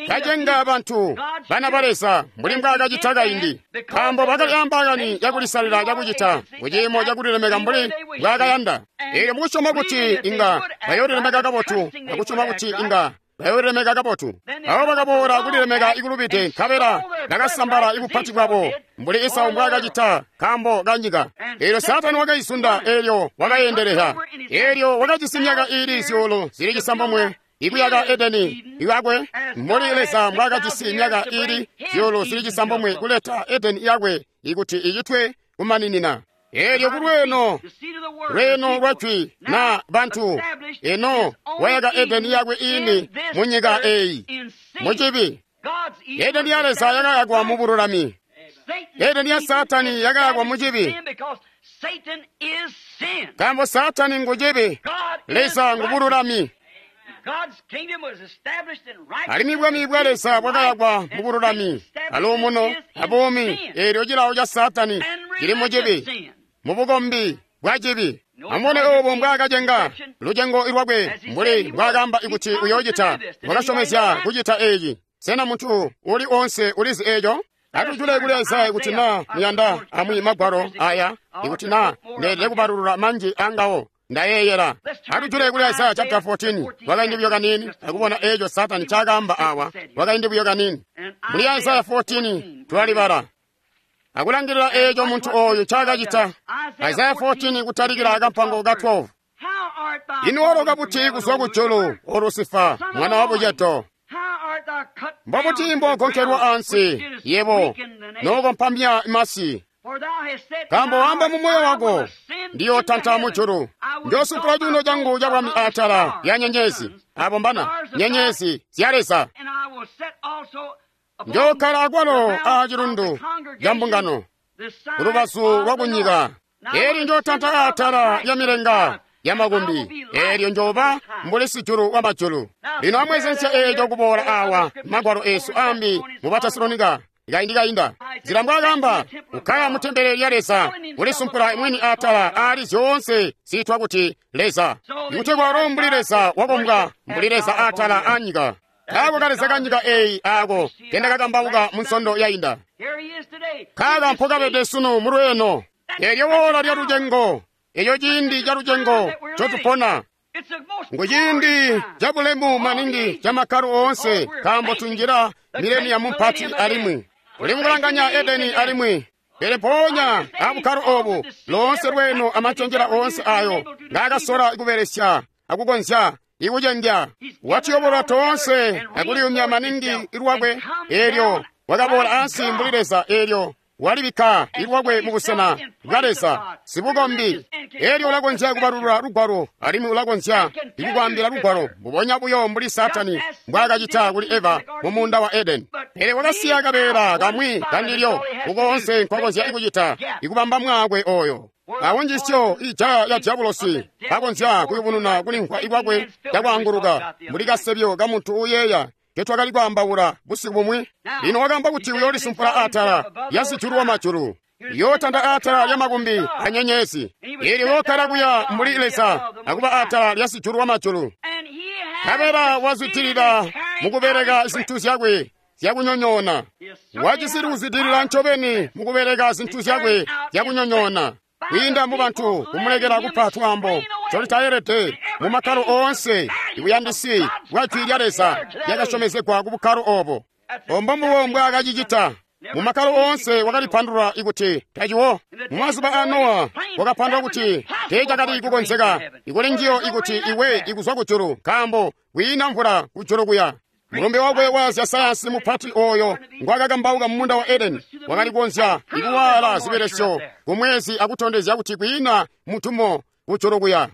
kacenga bantu bana ba Leza mbuli mbwaakacita kaindi, nkaambo bakali ambaakani yakulisalila cakucita kuciimo cakulilemeka mbuli mbwaakayanda. Eelyo mukusyoma kuti inga bayoolilemeka kabotu akusyoma kuti inga bayoolilemeka kabotu, abo bakaboola kulilemeka ikulubide, nkabela bakasambala ibupati bwabo mbuli Esau mbwaakacita nkaambo kanyika. Eelyo Saatani wakaizunda, eelyo wakayendelehya, eelyo wakajisi myaka iili zyuulu zili cisambomwe ikuyaka Edeni yakwe, mbuli Leza mbwaakajisi myaka iili zyuulu zili cisambomwe kuleta Edeni yakwe ikuti icitwe kumaninina. Eelyo kulweeno lweeno lwa jwi na bantu, eno wayaka Edeni yakwe iini munyika eyi mucibi. Edeni ya Leza yakayakwa mu bululami. Edeni ya Saatani yakayakwa mucibi, nkaambo Saatani ngu cibi, Leza ngu bululami. Alimwi bwami bwa Leza bwakayakwa mu bululami, aluumuno, abuumi. Eelyo cilawo ca Saatani cili mucibi, mu bukombi bwa cibi. Amubone oobo mbwaakacenga lucengo lwakwe mbuli mbwaakaamba kuti uyoocita. Wakasyomezya kucita eeci. Sena muntu uli oonse ulizi eeco? Atujule kuli Isaya kuti naa muyanda amwi magwalo aya, ikuti naa ndeelede kubalulula manji angawo. Ndayeeyela. Atujule kuli Isaya chapter fourteen. Wakaindi buyo kaniini akubona eeco Saatani ncaakaamba awa. Wakaindi buyo kaniini. Muli Isaya fourteen tulalibala akulangilila eeco muntu ooyu ncaakacita. Isaya fourteen kutalikila akampango ka twelve. Ino waloka buti kuzwa kujulu, O Lusifa, mwana wa bucedo? Mbobuti mbogonkelwa ansi, yebo nookompamya masi? Nkaambo wamba mu moyo wako, ndiyotanta mujulu, njoosupula cuuno cangu cabwami atala lya nyenyezi, abo mbana nyenyezi zya Leza. Njokkala akwalo aa cilundu ca mbungano kulubazu lwakunyika. Eelyo njootanta atala lya milenga ya makumbi, eelyo njoba mbuli sijulu wa majulu. Lino amweezensya eeco kuboola awa magwalo eesu ambi mu Batesalonika kaindi kainda. Nzila mbwaakaamba kukkala mu tempele lya Leza, kulisumpula mwini atala aali zyoonse ziitwa kuti Leza, ikutegwa alo mbuli Leza wakombwa mbuli Leza atala anyika. Kaako kaleza kanyika eyi aako kendakakambauka mu nsondo yainda. Kaaka mpokabede sunu mulweeno. Eelyo woola lya lucengo, eyo ciindi ca lucengo ncotupona, ngu ciindi ca bulemu maningi ca makkalo oonse, nkaambo tunjila mileniyamu mpati alimwi uli mukulanganya Edeni alimwi. Pele mpoonya abukkalo oobu loonse lweeno amacenjela oonse ayo ngaakasola kubelesya akukonzya ikucengya, watuyobolola toonse akuliyumya maningi lwakwe. Eelyo wakaboola ansi mbuli Leza, eelyo walibikka lwakwe mubusena bwa Leza sibukombi. Eelyo ulakonzya kubalulula lugwalo, alimwi ulakonzya ikukwaambila lugwalo mbubonya buyo mbuli Saatani mbwaakacita kuli Eva mu muunda wa Edeni. Pele wakasiya kabeela kamwi kandilyo kukoonse nkwakonzya ikucita ikubamba mwaakwe oyo. Awo njiisyo ijaya ya diabulosi kakonzya kuyubununa kulimvwa ikwakwe cakwaanguluka mbuli kasebyo ka muntu uyeeya ketwakali kwaambaula busiku bumwi. Lino wakaamba kuti uyoolisumpula atala lya sijulu wa majulu, uyootanda atala lya makumbi anyenyezi. Eelyo uyookkala kuya mbuli Leza akuba atala lya sijulu wa majulu. Nkabela wazwidilila mukubeleka zintu zyakwe zyakunyonyoona. Wajisili kuzwidilila ncobeni mukubeleka zintu zyakwe zyakunyonyoona, kwiinda mu bantu kumulekela kupa twaambo tolitayelede mu makkalo oonse. Ibuyandisi bwa jwi lya Leza lyakasyomezegwa ku bukkalo oobo. Ombo mbubo mbwaakacicita. Mu makkalo oonse wakalipandulula ikuti taciwo. Mu mazuba a Nowa wakapandulula kuti teecakali kukonzeka ikuli njiyo ikuti iwe ikuzwa kujulu, nkaambo kwiina mvula kujulu kuya. Mulumbe wakwe wa zya sayansi mupati oyo ngwaakakambauka mu muunda wa Edeni wakali kukonzya ikuwaala zibelesyo kumwezi akutondezya kuti kwiina mutumo kujulu kuya.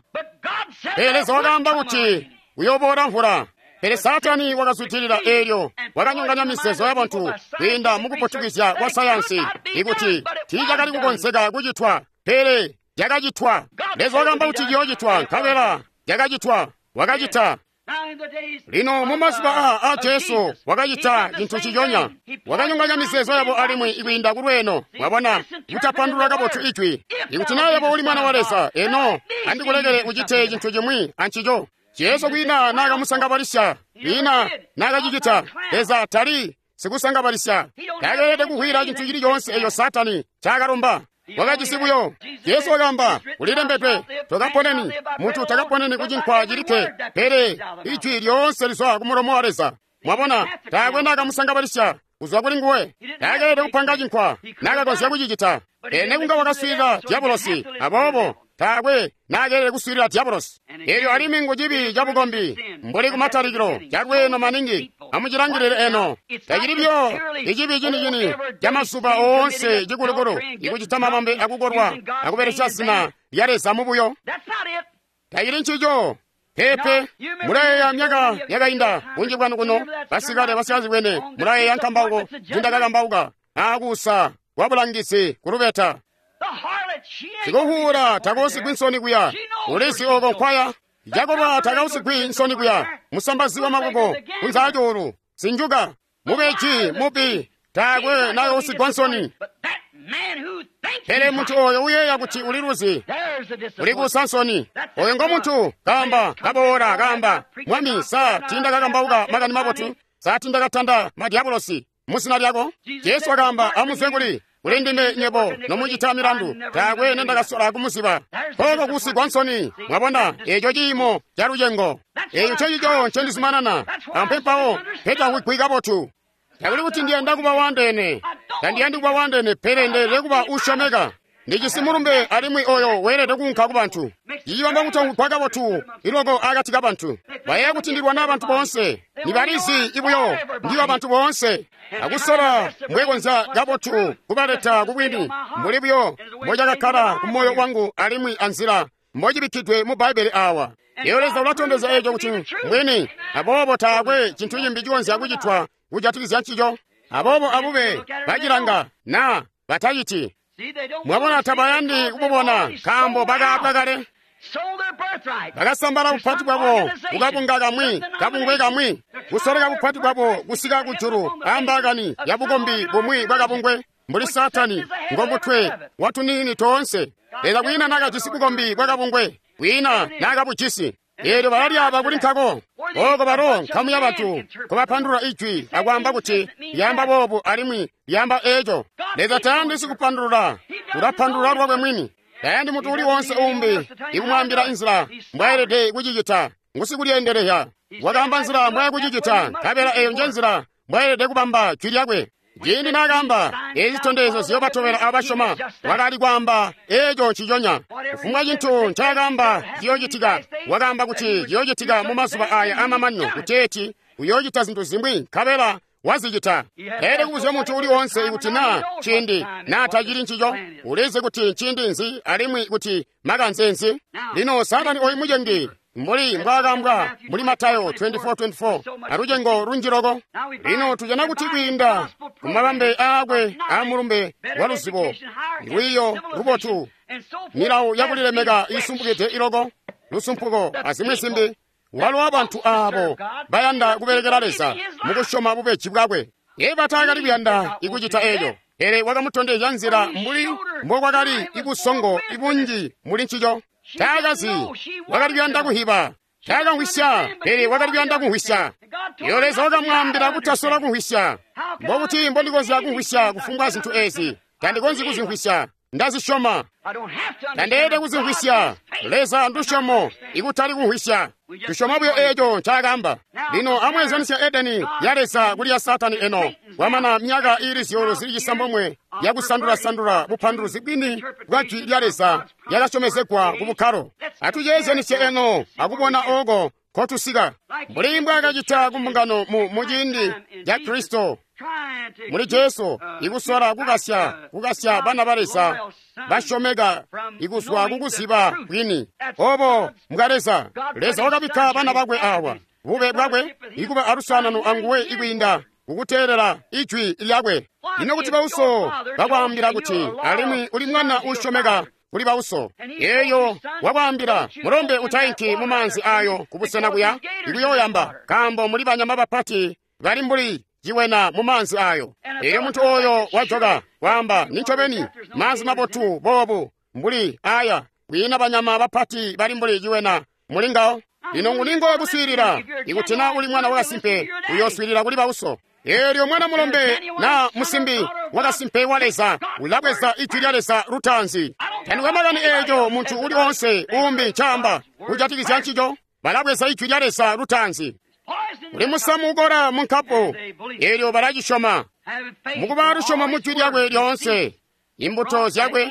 Pele Leza wakaamba kuti kuyooboola mvula. Pele Saatani wakazwidilila, eelyo wakanyonganya mizeezo yabantu kwiinda mukuputukizya kwa sayansi ikuti tiicakali kukonzeka kucitwa, pele cakacitwa. Leza wakaamba kuti ciyoocitwa, nkabela cakacitwa. Wakacita. Lino mumazuba a, a Jesu wakacita cintu ciconya. Wakanyonganya mizeezo yabo alimwi ikwiinda kulweeno. Mwabona, kutapandulula kabotu ijwi. Ikuti naa yebo uli mwana wa Leza, eno andikulekele ucite cintu cimwi ancico. Jesu kwiina naakamusangabalisya, kwiina naakacicita. Leza tali sikusangabalisya. Takeelede kuhwila cintu cili coonse eco Saatani ncakalomba. Wakajisi buyo. Jesu wakaamba, kulilembedwe, tokaponeni, muntu takaponeni kucinkwa cilikke, pele ijwi lyoonse lizwa kumulomo wa Leza. Mwabona, taakwe naakamusangabalisya kuzwa kuli nguwe. Taakeelede kupanga cinkwa, naakakonzya kucicita. Ene kunga wakaswiilila diabolosi, aboobo taakwe naakeelede kuswiilila diabolosi. Elyo alimwi ngu cibi cabukombi, mbuli kumatalikilo, calweeno maningi. Amucilangilile eno. Tacili buyo icibi cini-cini camazuba oonse cikulukulu, ikucita mamambe akukolwa akubelesya zina lya Leza mubuyo. Tacili ncico. Pepe, mulayeeya myaka yakainda bunji bwanu kuno, basikale basyazibwene, mulayeeya nkambauko zindakakambauka aakuusa kwa bulangizi kulubeta. Sikuhuula takausigwi nsoni kuya, ulizi oko nkwaya. Jakoba takausigwi nsoni kuya, musambazi wa makoko kunzaacuulu, sinjuka, mubeji, mubi, taakwe nakausigwa nsoni. Pele muntu oyo uyeeya kuti uliluzi, ulikuusa nsoni. Oyo ngo muntu kaamba, kaboola kaamba, Mwami, sa tiindakakambauka makani mabotu, sa tiindakatanda madiabolosi muzina lyako? Jesu wakaamba, amuzwe kuli kuli ndime nyebo nomucita milandu, taakwe nendakasola kumuziba. Oko kuusigwa nsoni. Mwabona eco ciimo ca lucengo. Eco ncecico ncendizumanana ampe mpawo petawigwi kabotu. Takuli kuti ndiyanda kuba wandene, tandiyandi kuba wandene, pele ndeelede kuba usyomeka. Ndijisi mulumbe alimwi oyo weelede kuunka ku bantu. Cicibamba kutawigwa kabotu iloko akati kabantu. Bayeeya kuti ndilwana abantu boonse. Nibalizi ibuyo ndiwa bantu boonse. Akusola mbwekonzya kabotu kubaleta kubwini, mbuli buyo mbocakakkala ku moyo wangu alimwi anzila mbocibikkidwe mu Bbaibbele awa. Leo Leza ulatondezya eco kuti mbwini, aboobo taakwe cintu cimbi cikonzya kucitwa kujatikizya ncico. Aboobo abube bacilanga naa bataciti. Mwabona, tabayandi kububona nkaambo bakaabwa kale. Bakasambala bupati bwabo kukabunga kamwi, kabungwe kamwi, kusoleka bupati bwabo kusika kujulu aambaakani ya bukombi bumwi bwakabungwe, mbuli Saatani ngomutwe watuniini toonse. Leza kwiina naakajisi bukombi bwakabungwe, kwiina naakabujisi. Eelyo balalyaaba kuli nkako. Oko balo nkamu ya bantu kubapandulula ijwi akwaamba kuti lyaamba boobu alimwi lyaamba eeco. Leza tayandi sikupandulula, ulapandulula lwakwe mwini. Tayandi muntu uli wonse umbi ikumwaambila inzila mbwaelede kucicita. Ngusikulyendelehya. Wakaamba nzila mbwayakucicita, nkabela eyo njenzila mbwaelede kubamba jwi lyakwe. Ciindi naakaamba ezi zitondezyo ziyoobatobela abasyoma, wakali kwaamba eeco nciconya. Kufumbwa cintu ncaakaamba ciyoocitika. Wakaamba kuti ciyoocitika mumazuba aya aamamanino, kuteeti uyoocita zintu zimwi, nkabela wazicita. Taelede kubuzya muntu uli wonse kuti naa ciindi naa tacili ncico. Ulizi kuti nciindi nzi alimwi kuti makanze nzi. Lino Saatani oyu mucengi, mbuli mbwaakambwa muli Matayo twenty-four twenty-four, alucengo lunji loko. Lino tujana kuti kwiinda kumabambe aakwe aamulumbe wa luzibo, lwiiyo lubotu, milawo yakulilemeka isumpukide iloko, lusumpuko azimwi zimbi, walo abantu aabo bayanda kubelekela Leza mukusyoma bubeji bwakwe. Eva taakali kuyanda ikucita eeco, pele wakamutondezya nzila mbuli mbokwakali ibusongo ibunji muli ncico. Taakazi, wakali kuyanda kuhiba. Taakamvwisya, pele wakali kuyanda kumvwisya. Iyo Leza wakamwaambila kutasola kumvwisya. Mbokuti mbondikonzya kumvwisya kufumbwa zintu ezi? Tandikonzyi kuzimvwisya. Ndazisyoma. Tandeelede kuzimvwisya. Leza ndusyomo, ikutali kumvwisya. Tusyoma buyo eeco ncaakaamba. Lino amweezyanisya Edeni ya Leza kuli ya Saatani eno. Kwamana myaka iili zyuulu zili cisambomwe yakusandula-sandula bupanduluzi bwini bwa jwi lya Leza lyakasyomezegwa ku bukkalo. Atuceezyanisye eno akubona oko nkotusika. Mbuli mbwaakacita ku mbungano mu muciindi ca Kristo, muli Jesu, ikusola kukasya kukasya bana ba Leza basyomeka ikuzwa kukuziba bwini obo mbwa Leza. Leza wakabikka bana bakwe awa bube bwakwe ikuba aluswaanano anguwe ikwiinda kukuteelela ijwi lyakwe. Ino kuti bauso bakwaambila kuti alimwi uli mwana usyomeka kuli bauso, eyo wakwaambila mulombe utainki mumaanzi ayo kubusena kuya ikuyooyamba, nkaambo muli banyama bapati bali mbuli ciwena mumaanzi ayo. Elyo muntu oyo wajoka waamba, nincobeni maanzi mabotu boobu mbuli aya, kwiina banyama bapati bali mbuli ciwena muli ngawo. Lino nguni ngo kuswiilila? Ikuti na uli mwana wakasimpe, uyooswiilila kuli bauso. Eelyo mwana mulombe na musimbi wakasimpe wa Leza ulabweza ijwi lya Leza lutaanzi. Tandikwe makani eeco muntu uli oonse umbi ncaamba kujatikizya ncico, balabweza ijwi lya Leza lutaanzi. Uli musamu ukola mu nkapu, eelyo balacisyoma. Mukuba lusyomo mu jwi lyakwe lyoonse, imbuto zyakwe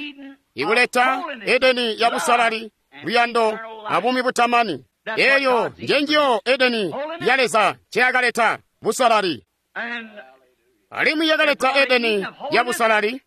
ikuleta Edeni ya busalali, luyando abuumi butamani. Eeyo njenjiyo Edeni ya Leza nceyakaleta busalali. Alimwi yakaleta Edeni ya busalali,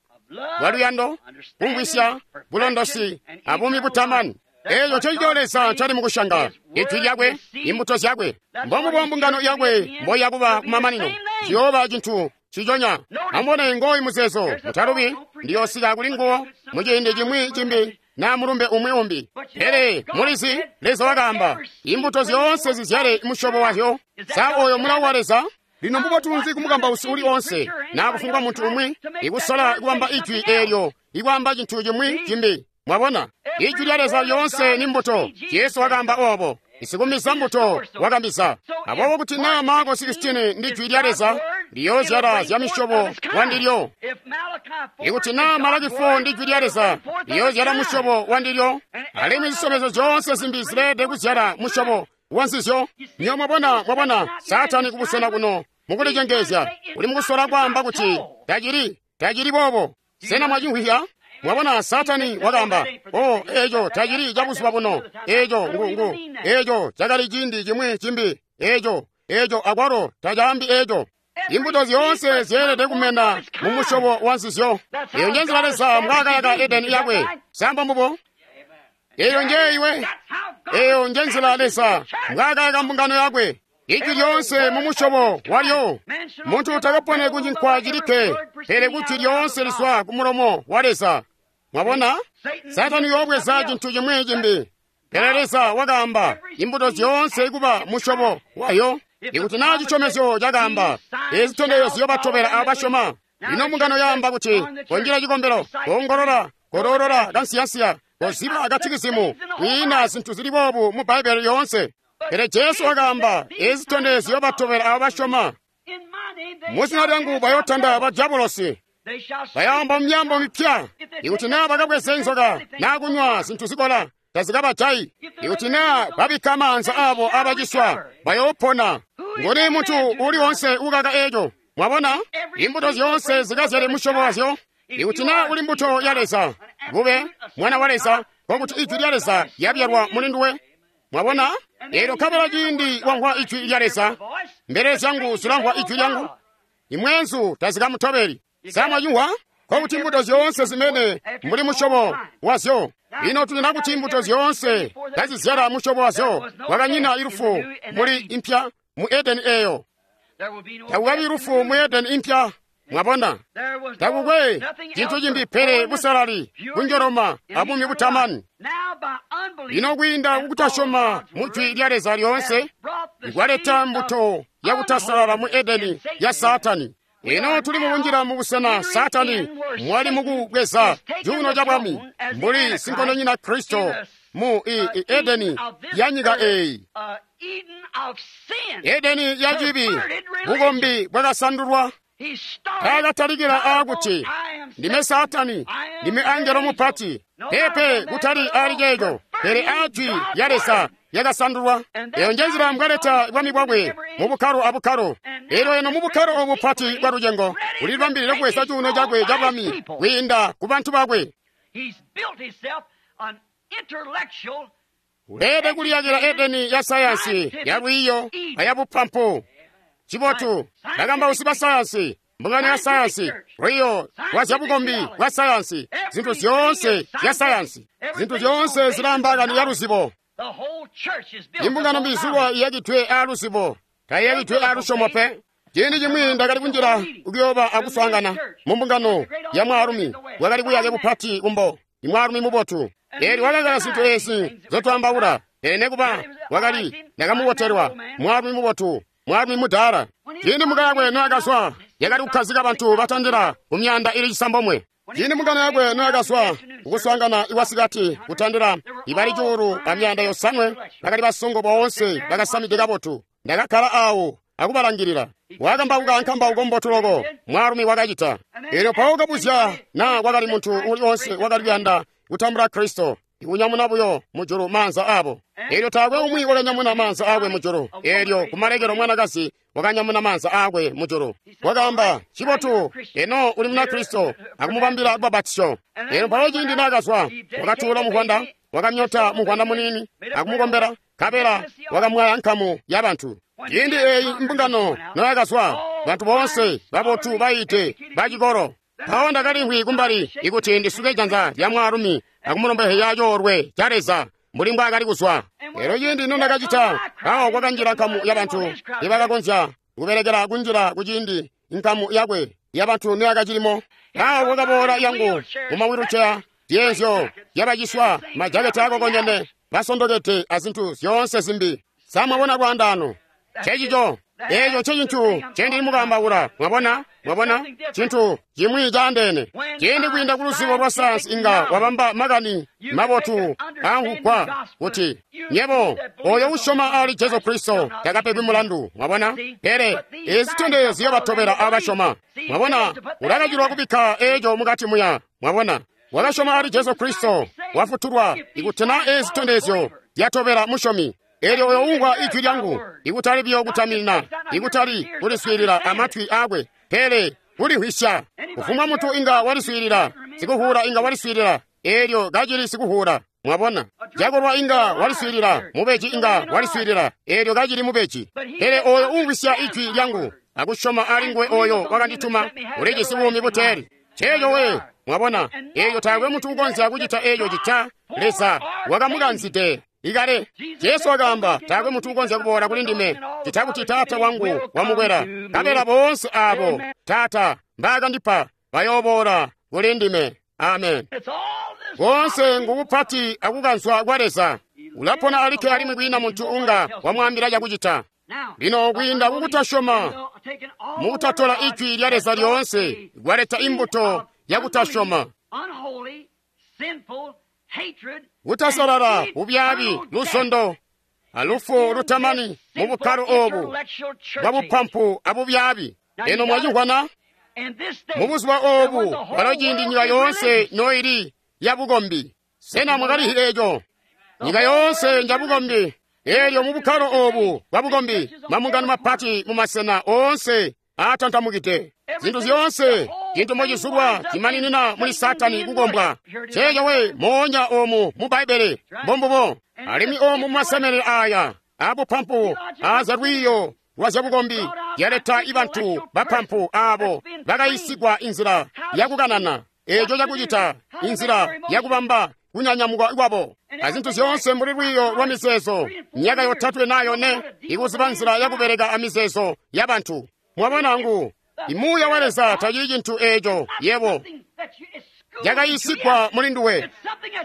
bwa luyando, kumvwisya, bulondosi abuumi butamani. Eeyo ncencico Leza ncali mukusyanga, ijwi lyakwe, imbuto zyakwe. Mbombubo mbungano yakwe mboyakuba kumamanino, ziyooba cintu ciconya. Amubone ngooyu muzeezo, mutalubi, ndiyoosika kuli nguwo muciindi cimwi cimbi na mulumbe umwi umbi. Pele mulizi, Leza wakaamba, imbuto zyoonse zizyale musyobo wazyo. Sa oyo mulawo wa Leza? Lino mbubotu nzi kumukambausi uli onse na kufumbwa muntu umwi ikusola kubamba ijwi eelyo ikwaamba cintu cimwi cimbi. Mwabona, ijwi lya Leza lyoonse ni mbuto. Jesu wakaamba obo. Isikumiza mbuto wakamiza. Aboobo kuti naa Marko sixteen ndi jwi lya Leza, liyoozyala zya misyobo wandilyo. Ikuti naa Malaki four ndi jwi lya Leza, liyoozyala musyobo wandilyo. Alimwi zisyomezyo zyoonse zimbi zileelede kuzyala musyobo wanzizyo. Nyo mwabona, mwabona Saatani kubusena kuno mukulicengezya uli mukusola kwaamba kuti tacili, tacili boobo. Sena mwacimvwisya? Mwabona, Saatani wakaamba, oh, eeco tacili cabuzuba buno, eeco ngu ngu, eeco cakali ciindi cimwi cimbi, eeco, eeco akwalo tacaambi eeco. Imbuto zyoonse zyeelede kumena mu musyobo wanzizyo. Eyo njenzila Leza mbwaakayaka Edeni yakwe. Sa mbubo? Eyo njeiwe. Eyo njenzila Leza mbwaakayaka mbungano yakwe. Ijwi lyoonse mu musyobo walyo. Muntu takapone ku cinkwa cilikke, pele kujwi lyoonse lizwa ku mulomo wa Leza. Mwabona? Saatani uyoobweza cintu cimwi cimbi. Pele Leza wakaamba imbuto zyoonse kuba musyobo wayo. Ikuti naa cisyomezyo cakaamba, ezi zitondezyo ziyoobatobela aabo basyoma. Lino mbungano yaamba kuti, konjila cikombelo, koongolola, koloolola kansiyansiya, koziba katikizimu, kwiina zintu zili boobu mu Bbaibbele lyoonse. Pele Jesu wakaamba, ezi zitondezyo ziyoobatobela aabo basyoma. Muzina lyangu bayootanda badyabolosi, bayaamba myaambo mipya. Ikuti naa bakabweze inzoka naa kunywa zintu zikola, tazikabajayi. Ikuti naa babikka maanza aabo abaciswa, bayoopona. Nguni muntu uli onse ukaka eeco? Mwabona, imbuto zyoonse zikazyale musyobo wazyo. Ikuti naa uli mbuto ya Leza, bube mwana wa Leza, nkokuti ijwi lya Leza lyabyalwa muli nduwe. Mwabona, eelyo nkabela ciindi wamvwa ijwi lya Leza, mbelele zyangu zilamvwa ijwi lyangu, imweenzu tazikamutobeli. Sa mwacimvwa? Nkokuti mbuto zyoonse zimene mbuli musyobo wazyo. Lino tulina kuti imbuto zyoonse tazizyala musyobo wazyo. Kwakanyina ilufu muli impya mu Edeni eyo. Takukabi lufu mu Edeni impya. Mwabona, takukwe cintu cimbi pele busalali, kunjoloma abuumi butamani. Lino kwiinda kukutasyoma mu jwi lya Leza lyoonse, ikwaleta mbuto yakutasalala mu Edeni ya Saatani. Ino tuli mukunjila mubusena Saatani mwali mukubweza cuuno ca bwami mbuli sinkondonyina Kristo mu i, i Edeni ya nyika eyi. Edeni ya cibi, bukombi bwakasandulwa. Taakatalikila aakuti ndime Saatani, ndime angelo mupati. Peepe, kutali aali ceeco, pele aajwi lya Leza lyakasandulwa. Eyo njenzila mbwaleta bwami bwakwe mu bukkalo abukkalo. Eelyo eno mu bukkalo obu bupati bwa lucengo, ulilibambilile kubweza cuuno cakwe ca bwami kwiinda ku bantu bakwe. Uleelede kuliyakila Edeni ya sayansi, ya lwiiyo, aya bupampu. Cibotu, bakambausi ba sayansi, mbungano ya sayansi, lwiiyo lwa zyabukombi bwa sayansi, zintu zyoonse zya sayansi, zintu zyoonse zilaambaakani ya luzibo. Imbungano mbizulwa iyakidwe aaluzibo, taiyakidwe aalusyomo pe. Ciindi cimwi ndakali kunjila kuyooba akuswaangana mu mbungano ya mwaalumi wakali kuyake bupati kumbo, imwaalumi mubotu. Eelyo wakakala zintu eezi nzotwaambaula, pele nekuba wakali ndakamubotelwa, mwaalumi mubotu, mwaalumi mudaala. Ciindi mukayakwe naakazwa, yakali kukkazika bantu batandila ku myaanda ili cisambomwe. Ciindi mbungano yakwe noyakazwa kukuswaangana iwasikati kutandila ibali cuulu amyaanda yosanwe bakali basongo boonse bakasamide kabotu. Ndakakkala awo akubalangilila. Wakambauka nkambauko mbotu loko mwaalumi wakacita. Elyo mpawo kabuzya naa kwakali muntu uli onse wakali kuyanda kutambula Kristo, ikunyamuna buyo mujulu maanza abo. Elyo taakwe umwi wakanyamuna maanza akwe mujulu. Elyo kumalekelo mwanakazi wakanyamuna maanza akwe mujulu. Wakaamba, "Cibotu, eno uli muna Kristo," akumubambila lubbapatizyo. Elyo mpawo ciindi naakazwa, wakatuula muvwanda, wakamyota muvwanda muniini, akumukombela, nkabela wakamwaya nkamu y'abantu. Ciindi eeyi mbungano noyakazwa, bantu boonse babotu bayiide bacikolo. Mpawo ndakalimvwi kumbali ikuti ndisuke janza lya mwaalumi akumulombeheya coolwe ca Leza mbuli mbwaakali kuzwa. Elyo ciindi nondakacita, awo kwakanjila nkamu y'abantu ibakakonzya kubelekela kunjila kuciindi nkamu yakwe y'abantu noyakacilimo. Awo kwakaboola yangu mumawiluceya, zyeenzyo zyabaciswa, majaketi akokonyene, basondokede azintu zyoonse zimbi. Sa mwabona lwaandaano? Cecico. Eeco ncecintu ncendili mukaambaula. Mwabona? Mwabona? Cintu cimwi caandeene. Ciindi kwiinda ku luzibo lwa sayansi inga wabamba makani mabotu amvwugwa kuti nyebo oyo usyoma ali Jesu Kristo takapegwi mulandu. Mwabona? Pele ezi zitondezyo ziyobatobela abasyoma. Mwabona? Ulakacilwa kubikka eeco mukati muya. Mwabona? Wakasyoma ali Jesu Kristo wafutulwa ikuti na ezi zitondezyo zyatobela musyomi. Elyo oyo umvwa ijwi lyangu, ikutali biyo kutaminina, ikutali kuliswiilila amatwi akwe, pele kulihwisya. Kufumbwa muntu inga waliswiilila, sikuhuula inga waliswiilila, elyo kacili sikuhuula. Mwabona? Jakolwa inga waliswiilila, mubeji inga waliswiilila, elyo kacili mubeji. Pele oyo umvwisya ijwi lyangu, akusyoma ali nguwe oyo wakandituma, ulijisi buumi buteeli. Ceeco we, mwabona, eeyo taakwe muntu ukonzya kucita eeco cita Leza wakamukanzide. Ikale Jesu wakaamba, taakwe muntu ukonzya kuboola kuli ndime cita kuti Taata wangu wamukwela. Nkabela boonse aabo Taata mbaakandipa bayooboola kuli ndime. Amen. Boonse ngubupati akukanzwa kwa Leza. Ulapona alikke alimwi kwiina muntu unga wamwaambila cakucita. Lino kwiinda kukutasyoma, mukutatola ijwi lya Leza lyoonse, kwaleta imbuto yakutasyoma, kutasalala, bubyaabi, luzondo, alufu lutamani mu bukkalo obu bwabupampu abubyaabi. Eno mwacimvwana? Mubuzuba obu bwalo ciindi nyika yoonse noili yabukombi. Sena mwakalihi eeco? Nyika yoonse njabukombi. Elyo mu bukkalo obu bwabukombi, mambungano mapati mumasena oonse aatantamukide. Zintu zyoonse cintu mocizulwa cimaninina muli Satani kukombwa. Ceeco we moonya oomu mu Bbaibbele mbombubo. Alimwi oomu mumaseminari aaya aabupampu aazalwiiyo lwa zyabukombi yaleta ibantu bapampu aabo bakayisigwa inzila yakukanana, eeco cakucita, inzila yakubamba kunyanyamuka kwabo azintu zyoonse mbuli lwiiyo lwa mizeezo myaka yotatwe na yone ikuziba nzila yakubeleka amizeezo y'abantu. Mwabona ngu imuuya wa Leza tacili cintu eeco yebo cakayisigwa muli nduwe,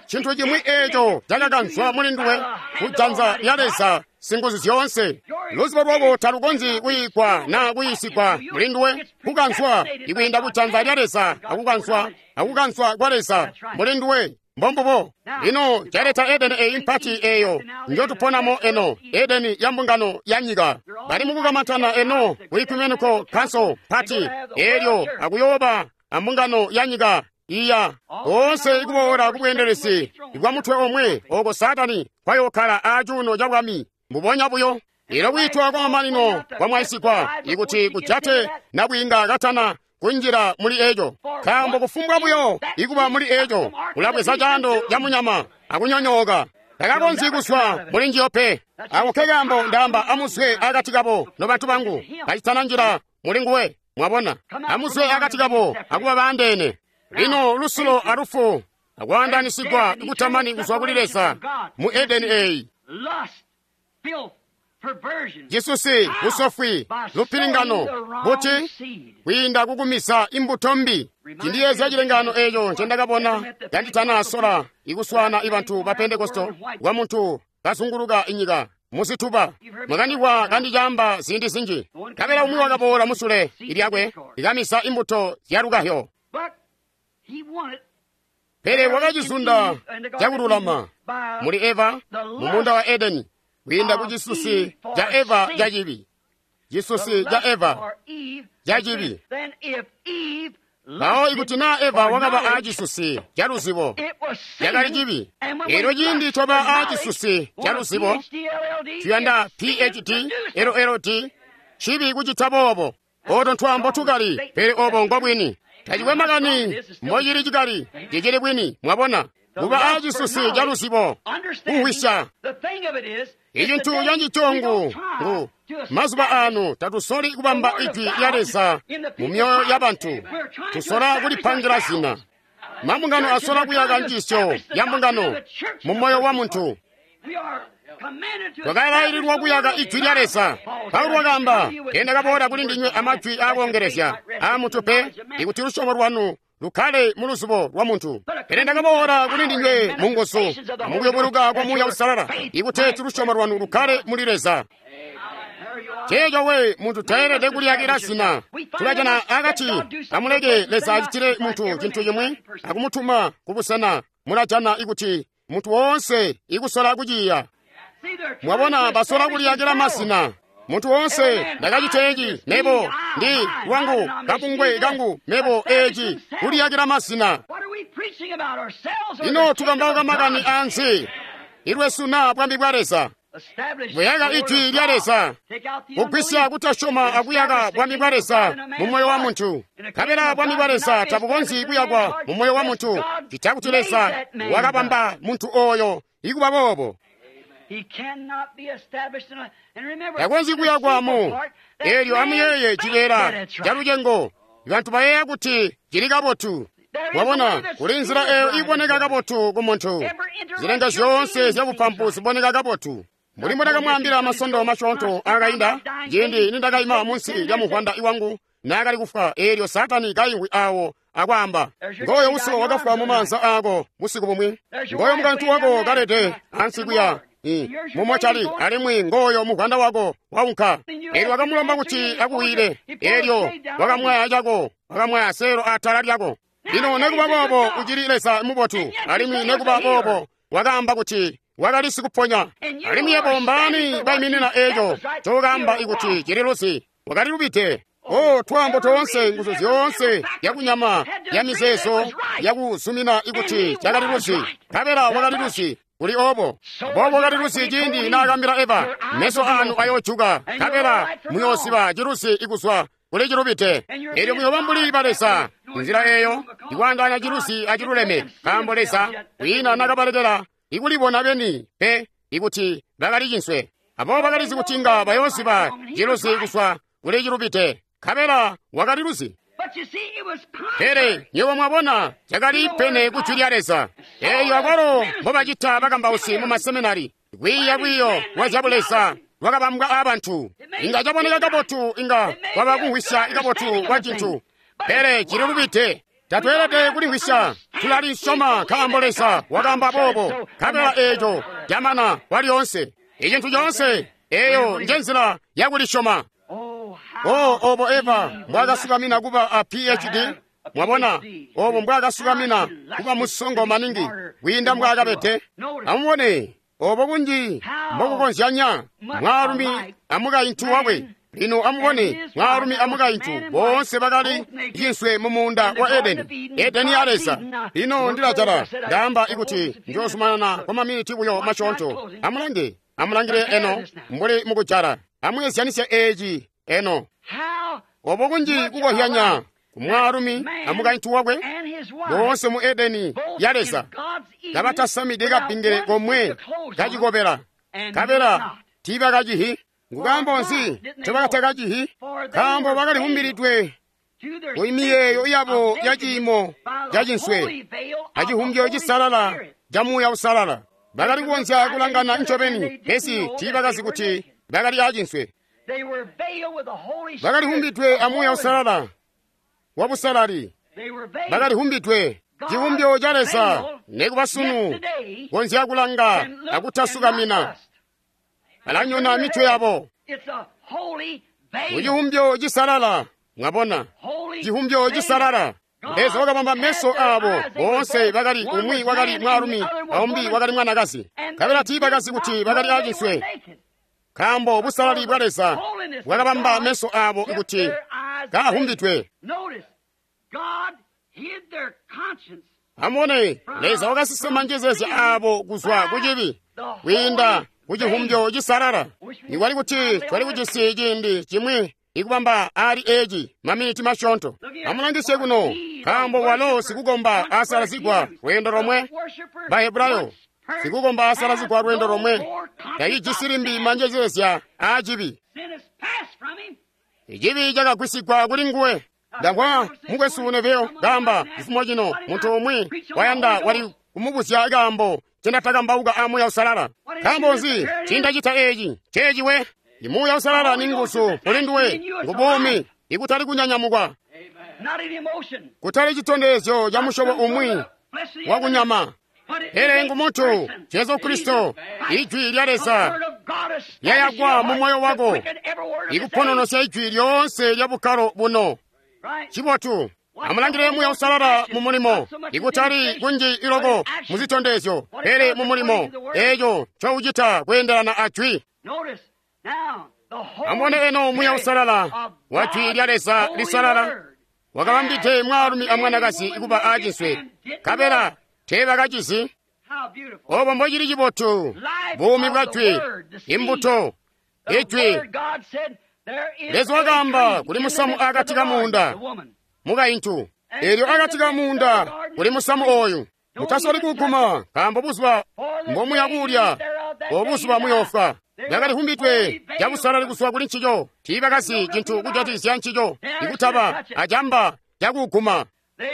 cintu cimwi eeco cakakanzwa muli nduwe kujanza lya Leza singuzu zyoonse. Luzibo lwako talukonzyi kuyiigwa naa kuyiisigwa muli nduwe, kukanzwa ikwiinda kujanza lya Leza akukanzwa akukanzwa kwa Leza muli nduwe. Mbombubo. Lino caleta Edeni eyi mpati eyo njotuponamo eno, Edeni ya mbungano ya nyika. Bali mukukamantana eno ku Ecumenical Council pati elyo akuyooba ambungano ya nyika iya oonse ikuboola kubweendelezi bwa mutwe omwe oko Satani kwayookhala acuuno ca bwami. Mbubonya buyo elo kwiitwa kwa mamanino kwamwaisigwa ikuti kujate nabwiinga katana kunjila muli eco, nkaambo kufumbwa buyo ikuba muli eco ulabweza caando ca munyama akunyonyooka. Takakonzyi kuzwa muli njiyo pe. Ako ke kaambo ndaamba amuzwe akati kabo nobantu bangu kacitana njila muli nguwe. Mwabona, amuzwe akati kabo akuba baandeene. Lino lusulo alufu akwaandanisigwa ikutamani kuzwa kuli Leza mu Edeni eyi. Cisusi, busofwi, lupilingano, buti kwiinda kukumisa imbuto mbi. Cindiyezya cilengano eeco ncendakabona kanditanasola ikuswana ibantu ba Pentekosto kwa muntu kazunguluka inyika muzituba. Mwakandibwa kandicaamba ziindi zinji. Nkabela umwi wakaboola musule ilyakwe ikamisa imbuto zyalukahyo. Pele wakacizunda cakululama muli Eva mumuunda wa Edeni kwiinda ku cisusi ca Eva cacibi. Cisusi ca Eva cacibi. Mpawo ikuti naa Eva wakaba aa cisusi ca luzibo, cakali cibi. Elyo ciindi twaba aa cisusi ca luzibo, tuyanda P H D L L D, cibi kucita boobo. Oto ntwaambo tukali, pele obo ngobwini. Tacikwe makani mbocili cikali, cicili bwini, mwabona. Kuba aa cisusi ca luzibo, kumvwisya. Icintu cancico ngu, ngu, mazuba aano tatusoli kubamba ijwi lya Leza mu myoyo ya bantu. Tusola kulipangila zina. Mambungano asola kuyaka njiisyo ya mbungano mu moyo wa muntu. Twakalaililwa kuyaka ijwi lya Leza. Paulo wakaamba, "Ndakaboola kuli ndinywe amajwi aakoongelezya aamuntu pe, ikuti lusyomo lwanu lukkale mu luzibo lwa muntu. Pele ndakaboola kuli ndinywe mu nguzu amukuyoboloka kwa Muuya Uusalala, ikuti lusyomo lwanu lukkale muli Leza." Ceeco we muntu taelede kuliyakila zina. Tulajana akati, amuleke Leza acitile muntu cintu cimwi akumutuma kubusena. Mulajana ikuti muntu woonse ikusola kuciya. Mwabona, basola kuliyakila mazina. Muntu woonse, ndakacita eci, mebo, ndi lwangu, kabungwe kangu, mebo eci, kuliyakila mazina. Ino tukambauka makani anzi? Ilwesu naa bwami bwa Leza? Kuyaka ijwi lya Leza, kugwisya kutasyoma akuyaka bwami bwa Leza mu moyo wa muntu. Nkabela bwami bwa Leza tabukonzyi kuyakwa mu moyo wa muntu, cita kuti Leza wakabamba muntu oyo ikuba boobo. Takonzyi kuyakwa mu. Elyo amuyeeye cibeela calucengo. Bantu bayeeya kuti cili kabotu. Mwabona, kuli nzila eyo iboneka kabotu ku muntu. Zilenge zyoonse zyabupampu ziboneka kabotu. Mbuli mbwendakamwaambila masondo masyoonto aakainda, ciindi nindakaima munsi lya muvwanda iwangu naakali kufwa, eelyo Saatani kaimvwi awo akwaamba, "Ngooyo uso wakafwa mumaanza aako busiku bumwi. Ngooyo mukaintu wako kalede ansi kuya mumocali, alimwi ngooyo muvwanda wako waunka." Eelyo wakamulomba kuti akuwile, eelyo wakamwaya cako, wakamwaya seelo atala lyako. Lino nekuba boobo ucili Leza mubotu, alimwi nekuba boobo wakaamba kuti wakali sikuponya. Alimwi yebo mbaani baiminina eeco cokaamba ikuti cili luzi? Wakali lubide. O twaambo toonse, nguzu zyoonse yakunyama ya mizeezo yakuzumina ikuti cakali luzi, nkabela wakali luzi. Kuli obo boobo wakali luzi ciindi naakambila Eva, "Meso anu ayoojuka, nkabela muyooziba ciluzi ikuzwa kuli cilubide, eelyo muyooba mbuli ba Leza." Nzila eeyo ikwaandaanya ciluzi aciluleme, nkaambo Leza kwiina nakabalekela ikulibona beni pe ikuti bakali cinswe. Aboobo bakalizi kuti nga bayooziba ciluzi kuzwa kuli cilubide, nkabela wakali luzi. Pele nywebo mwabona, cakali pene ku jwi lya Leza. Eeyo akwalo mbobacita bakambausi mu maseminari, kwiiya lwiiyo lwa zyabuleza lwakabambwa aabantu. Inga caboneka kabotu, inga kwaba kumvwisya kabotu kwa cintu, pele cili lubide. Tatweelede kulimvwisya, tulalisyoma nkaambo Leza wakaamba boobo, nkabela eeco camana kwalyoonse. Icintu coonse, eeyo njenzila yakulisyoma. Oh, obo Eva mbwaakasukamina kuba a P H D. Mwabona, obo mbwaakasukamina kuba musongo maningi kwiinda mbwaakabede. Amubone obo kunji mbokukonzyanya mwaalumi amukaintu wakwe. Lino amubone mwaalumi amukaintu boonse bakali cinswe mu muunda wa Edeni, Edeni ya Leza. Lino ndilajala ndaamba ikuti njoozumanana kwa maminiti buyo masyoonto. Amulange, amulangile eno mbuli mukujala. Amweezyanisye eeci eno. Obo kunji kukozyanya kumwaalumi amukaintu wakwe boonse mu Edeni ya Leza, kabatasamide kabingele komwe kacikobela, nkabela tiibakacihi. Nkukaambo nzi ncobakatakacihi? Nkaambo bakalivumbilidwe ku miyeeyo yabo ya ciimo ca cinswe acihumbyo cisalala ca Muuya Uusalala. Bakali kukonzya kulangana ncobeni, pesi tiibakazi kuti bakali acinswe. Bakalihumbidwe a Muuya Uusalala wa busalali. Bakalihumbidwe cihumbyo ca Leza nekuba sunu konzya kulanga akutasukamina. Balanyona mitwe yabo mu cihumbyo cisalala. Mwabona, cihumbyo cisalala. Leza wakabamba meso abo boonse bakali umwi wakali mwaalumi aumbi wakali mwanakazi nkabela tiibakazi kuti bakali acinswe nkaambo busalali bwa Leza bwakabamba meso abo kuti kaahumbidwe. Amubone, Leza wakasisa manjezeezya abo kuzwa kucibi kwiinda kucihumbyo cisalala. Nikwali kuti twali kujisi ciindi cimwi ikubamba ali eci maminiti masyoonto. Amulangisye kuno, nkaambo walo sikukomba asalazigwa lweendo lomwe. Bahebrayo, sikukomba asalazigwa lweendo lomwe tacijisi limbi manjezeezya aacibi. Icibi cakagwisigwa kuli nguwe. Ndamvwa mukwesu Neville kaamba cifumo cino, muntu umwi wayanda wali kumubuzya kaambo ncendatakambauka a Muuya Uusalala. Nkaambo nzi ncindacita eci? Ceeci we. Muuya Uusalala ni nguzu kuli nduwe, ngu buumi, ikutali kunyanyamukwa, kutali citondezyo ca musyobo umwi wakunyama, pele ngu muntu Jesu Kristo, Ijwi lya Leza lyayakwa mu moyo wako, ikupononosya Ijwi lyoonse lya bukkalo buno. Cibotu. Amulangile Muuya Uusalala mu mulimo, ikutali kunji iloko muzitondezyo, pele mu mulimo eeco ncoucita kweendelana a Jwi. Amubone eno Muuya Uusalala wa Jwi lya Leza lisalala wakabambide mwaalumi amwanakazi kuba aacinswe, nkabela teebakacizi. Obo mbocili cibotu, buumi bwa Jwi, imbuto, Ijwi. Leza wakaamba kuli musamu akati kamuunda, mukaintu. Eelyo akati kamuunda kuli musamu oyu, mutasoli kuguma, nkaambo buzuba mbomuya kulya, obo buzuba muyoofwa. Lyakalihumbidwe cabusalali kuzwa kuli ncico, tiibakazi cintu kujatikizya ncico, ikutaba acamba cakuguma.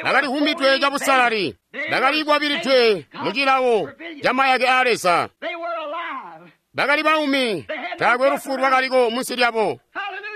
Bakalihumbidwe cabusalali, bakalikwabilidwe mu cilawo camayake aa Leza. Bakali baumi, taakwe lufu lwakaliko munsi lyabo.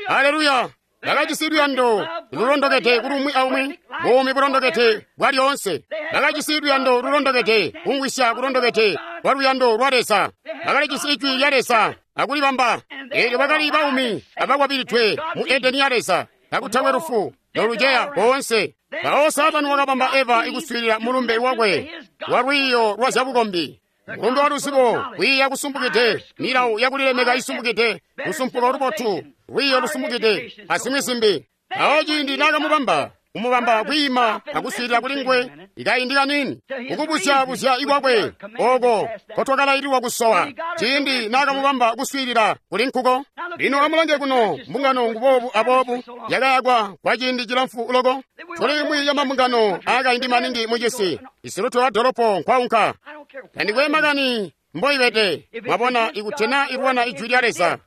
Haleluya! Bakajisi luyando lulondokede kuli umwi aumwi, buumi bulondokede bwa lyoonse. Bakajisi luyando lulondokede, kumvwisya kulondokede kwa luyando lwa Leza. Bakalijisi Ijwi lya Leza akulibamba. Eelyo bakali baumi abakwabilidwe mu Edeni ya Leza, kakutakwe lufu noluceya boonse. Mpawo Saatani wakabamba Eva ikuswiilila mulumbe wakwe wa lwiiyo lwa zyabukombi. Mulumbe wa luzibo, kwiiya kusumpukide, milawo yakulilemeka isumpukide, lusumpuko lubotu, lwiiyo lusumpukide, azimwi zimbi. Awo ciindi naakamubamba, kumubamba kwiima akuswiilila kuli nguwe ikaindi kaniini, kukubuzya-buzya ikwakwe oko kotwakalaililwa kusowa, ciindi naakamubamba kuswiilila kuli nkuko. Lino amulange kuno, mbungano nguboobu aboobu yakayakwa kwa ciindi cilamfu loko. Tuli imwi ya mambungano aakaindi maningi mucisi, isilutwe wa dolopo nkwaunka. Tandikwe makani mboibede, mwabona, ikuti na ilwana Ijwi lya Leza,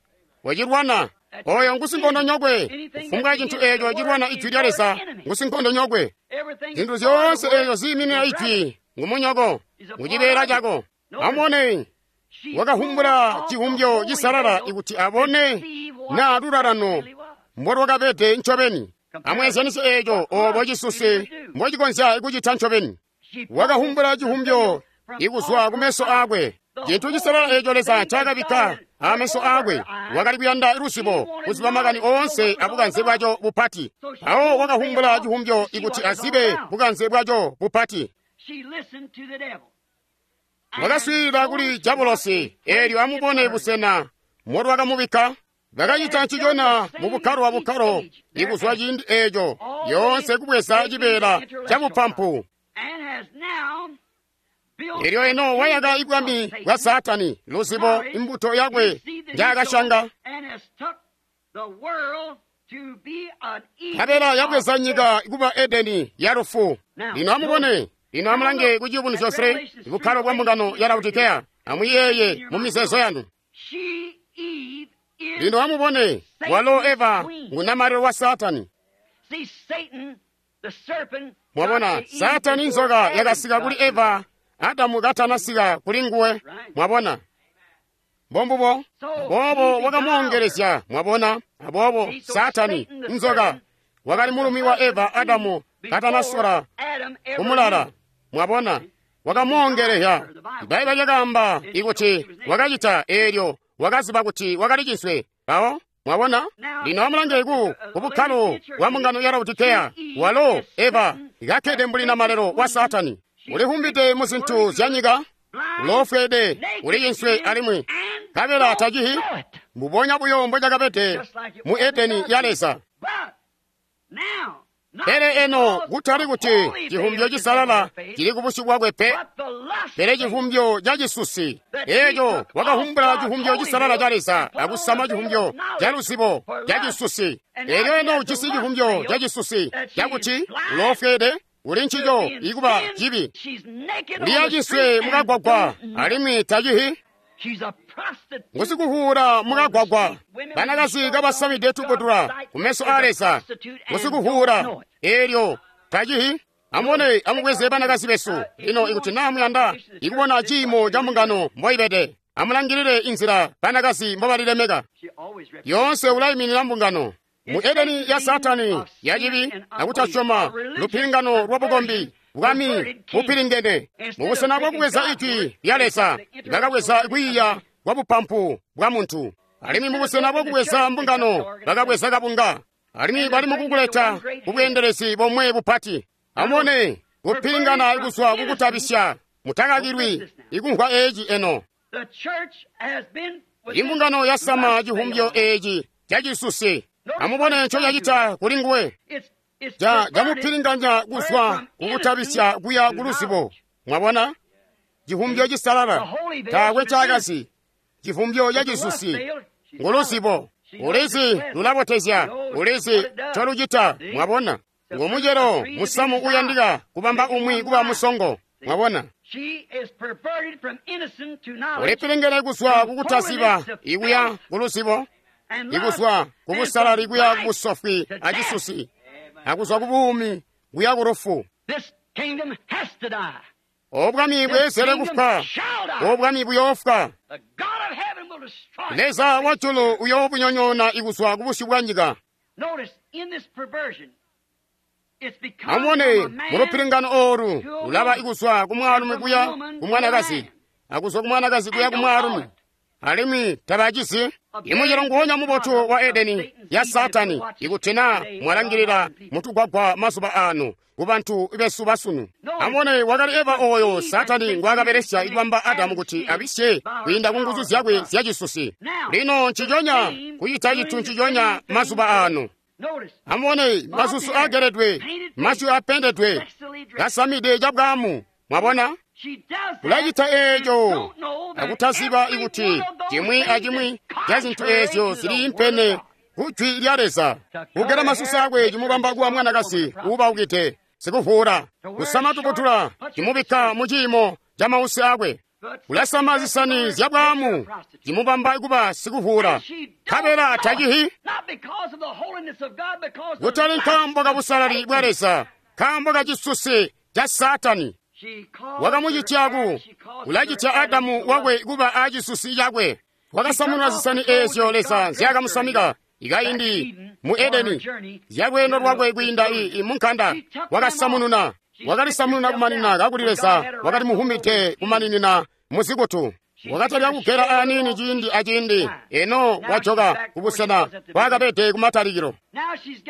wacilwana. Oyo ngusinkondonyokwe. Kufumbwa cintu eeco cilwana Ijwi lya Leza ngusinkondonyokwe. Zintu zyoonse eezo ziiminina Ijwi ngumunyoko, ngucibeela cako. Amubone, wakahumbula cihumbyo cisalala ikuti abone naa lulalano mbolwakabede ncobeni. Amweezyanisye eeco obo cisusi mbocikonzya kucita ncobeni. Wakahumbula cihumbyo ikuzwa kumeso aakwe. Cintu cisalala eeco Leza ncaakabikka ameso aakwe. Wakali kuyanda luzibo kuziba makani oonse abukanze bwaco bupati. Mpawo wakahumbula cihumbyo ikuti azibe bukanze bwaco bupati. Wakaswiilila kuli Jabolosi, eelyo amubone busena molwakamubikka. Bakacita ncicona mu bukkalo abukkalo ikuzwa ciindi eeco, yoonse kubweza cibeela cabupampu. Elyo eno wayaka ibwami bwa Saatani, luzibo imbuto yakwe njaakashanga. Nkabela yabweza nyika kuba Edeni ya lufu. Lino amubone, lino amulange ku Ciyubunuzyo three, bukkalo bwa mbungano ya Laodikeya. Amuyeeye mu mizeezo yanu. Lino amubone, walo Eva ngunamalelo wa Saatani. Mwabona, Saatani nzoka yakasika kuli Eva, Adamu katanasika kuli nguwe. Mwabona, mbombubo boobo wakamuongelezya. Mwabona, aboobo Saatani nzoka wakali mulumi wa Eva, Adamu katanasola kumulala. Mwabona, wakamuongelezya. Ibbaibbele lyakaamba ikuti wakacita eelyo wakaziba kuti wakali cinswe. Mpawo Mwabona? Lino amulange ku kubukkalo bwa mbungano ya Laodikeya. Walo, Eva, kakkede mbuli namalelo wa Saatani. Ulihumbide mu zintu zya nyika, uloofweede, uliyinswe alimwi kabela tacihi, mbubonya buyo mbocakabede mu Edeni ya Leza. Pele eno kutali kuti civumbyo cisalala cili kubusyu bwakwe pe, pele civumbyo ca cisusi. Eeco wakahumbula civumbyo cisalala ca Leza akusama civumbyo ca luzibo ca cisusi. Eelyo eno ujisi civumbyo ca cisusi cakuti uloofweede, uli ncico ikuba cibi. Uliyaciswe mukagwagwa alimwi tacihi. Ngusikuhuula mukagwagwa. Banakazi kabasamide tubudula kumeso a Leza. Ngusikuhuula eelyo tacihi. Amubone, amubweze banakazi besu lino ikuti naa muyanda ikubona ciimo ca mbungano mboibede. Amulangilile inzila banakazi mbobalilemeka. Yoonse ulaiminina mbungano. Mu Edeni ya Saatani ya cibi akutasyoma lupilingano lwa bukombi bwami bupilingene. Mubusena bwakubweza ijwi lya Leza, bakabweza kwiiya kwa bupampu bwa muntu. Alimwi mubusena bwakubweza mbungano, bakabweza kabunga. Alimwi bali mukukuleta kubweendelezi bomwe bupati. Amubone, kupilingana kuzwa kukutabisya. Mutakakilwi ikumvwa eeci eno. Imbungano yasama civumbyo eeci cacisusi. Amubone nco cacita kuli nguwe. Ca camupilinganya kuzwa kukutabisya kuya ku luzibo. Mwabona? Civumbyo cisalala taakwe cakazi. Civumbyo cacisusi nguluzibo. Ulizi lulabotezya, ulizi ncolujita. Mwabona? Ngomucelo musamu uyandika kubamba umwi kuba musongo. Mwabona? Ulipilingene kuzwa kukutaziba ikuya ku luzibo, ikuzwa kubusalali kuya kubusofwi acisusi, akuzwa kubuumi kuya ku lufu. Obwami bwezele kufwa, obwami buyoofwa. Leza wa julu uyoobunyonyoona ikuzwa kubusyu bwa nyika. Amubone, mulupilingano oolu lulaba ikuzwa kumwaalumi kuya kumwanakazi, akuzwa kumwanakazi kuya kumwaalumi, alimwi tabacizi. Imucelo nguwonya mubotu wa Edeni ya Saatani ikuti naa mwalangilila mutugwagwa mazuba aano kubantu besu basunu. Amubone, wakali Eva ooyo Saatani ngwaakabelesya ikubamba Adamu kuti abisye kwiinda kunguzu zyakwe zyacisusi. Lino nciconya kucita cintu nciconya mazuba aano. Amubone, masusu ageledwe, masyu apendedwe, kasamide cabwaamu. Mwabona? Kulacita eeco akutaziba ikuti cimwi acimwi ca zintu eezyo ziliimpene ku jwi lya Leza. Kugela masusu akwe cimubamba kuba mwanakazi uubaukide, sikuvuula. Kusama tubutula cimubikka mu ciimo ca mausi akwe. Ulasama zisani zyabwaamu cimubamba kuba sikuvuula. Kabela tacihi. Kutali nkaambo kabusalali bwa Leza, nkaambo kacisusi ca Saatani. Wakamucityaku ulacitya Adamu wakwe kuba acisusi cakwe. Wakasamunwa zisani eezyo Leza nzyaakamusamika ikaindi mu Edeni zyalweendo lwakwe kwiinda i munkanda. Wakasamununa, wakalisamununa kumaninina kakuli Leza wakali muhumide kumaninina muzikutu. Wakatalika kugela aniini ciindi aciindi, eno wajoka kubusena bwakabede kumatalikilo.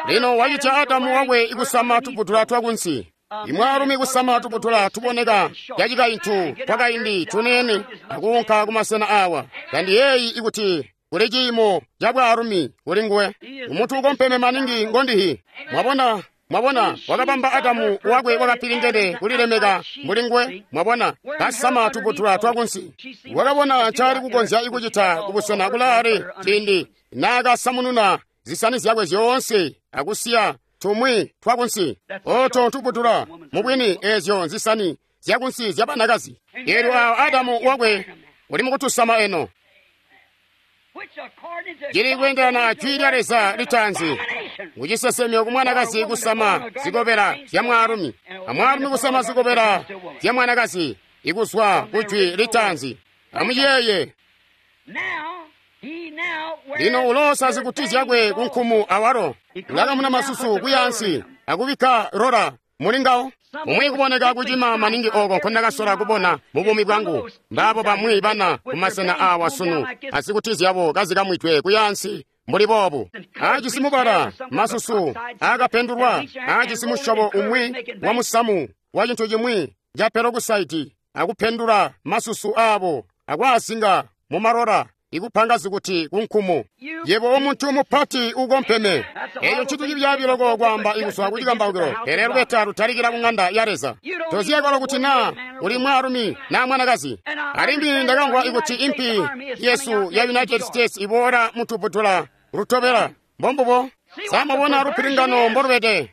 Lino wacitya Adamu wakwe ikusama tubutula twakunsi. Imwaalumi kusama tubutula tuboneka cacikaintu twakaindi tuniini akuunka kumasena awa. Kandiyeeyi ikuti kuli ciimo ca bwaalumi kuli nguwe. Umuntu ukompeme maningi ngondihi. Mwabona? Mwabona, wakabamba Adamu wakwe wakapilingene kulilemeka mbuli nguwe. Mwabona, kasama tubutula twakunsi. Wakabona ncaali kukonzya ikucita kubusena kulaale ciindi naakasamununa zisani zyakwe zyoonse akusiya tumwi twakunsi. Oto tubutula mubwini eezyo nzisani zyakunsi zyabanakazi. Eelyo awo Adamu wakwe uli mukutusama eno. Cili kweendelana ajwi lya Leza litaanzi. Ngucisesemyo kumwanakazi kusama zikobela zya mwaalumi, amwaalumi kusama zikobela zya mwanakazi ikuzwa kujwi litaanzi. Amuciyeeye. Lino uloosa zikuti zyakwe kunkumu awalo. Ulakamuna masusu kuyaansi akubikka rola mulingawo. Umwi kuboneka kucima maningi oko nkondakasola kubona mubuumi bwangu. Mbaabo bamwi bana kumasena awa sunu azikuti zyabo kazikamwidwe kuyaansi mbuli boobu, aajisi mubala, masusu aakapendulwa, aajisi musyobo umwi wa musamu wa cintu cimwi ca perokusaidi, akupendula masusu aabo akwaasinga mumalora, ikupanga zikuti kunkumu. Yebo omuntu mupati ukompeme. Eeco ncintu cibyaabi loko kwaamba ikuzwa ku cikambaukilo, pele lubeta lutalikila ku ŋanda ya Leza. Tozyi kwalo kuti naa uli mwaalumi naa mwanakazi. Alimwi ndakamvwa ikuti impi yesu ya United States iboola mutubutula lutobela. Mbombubo. Sa mwabona lupilingano mbolubede?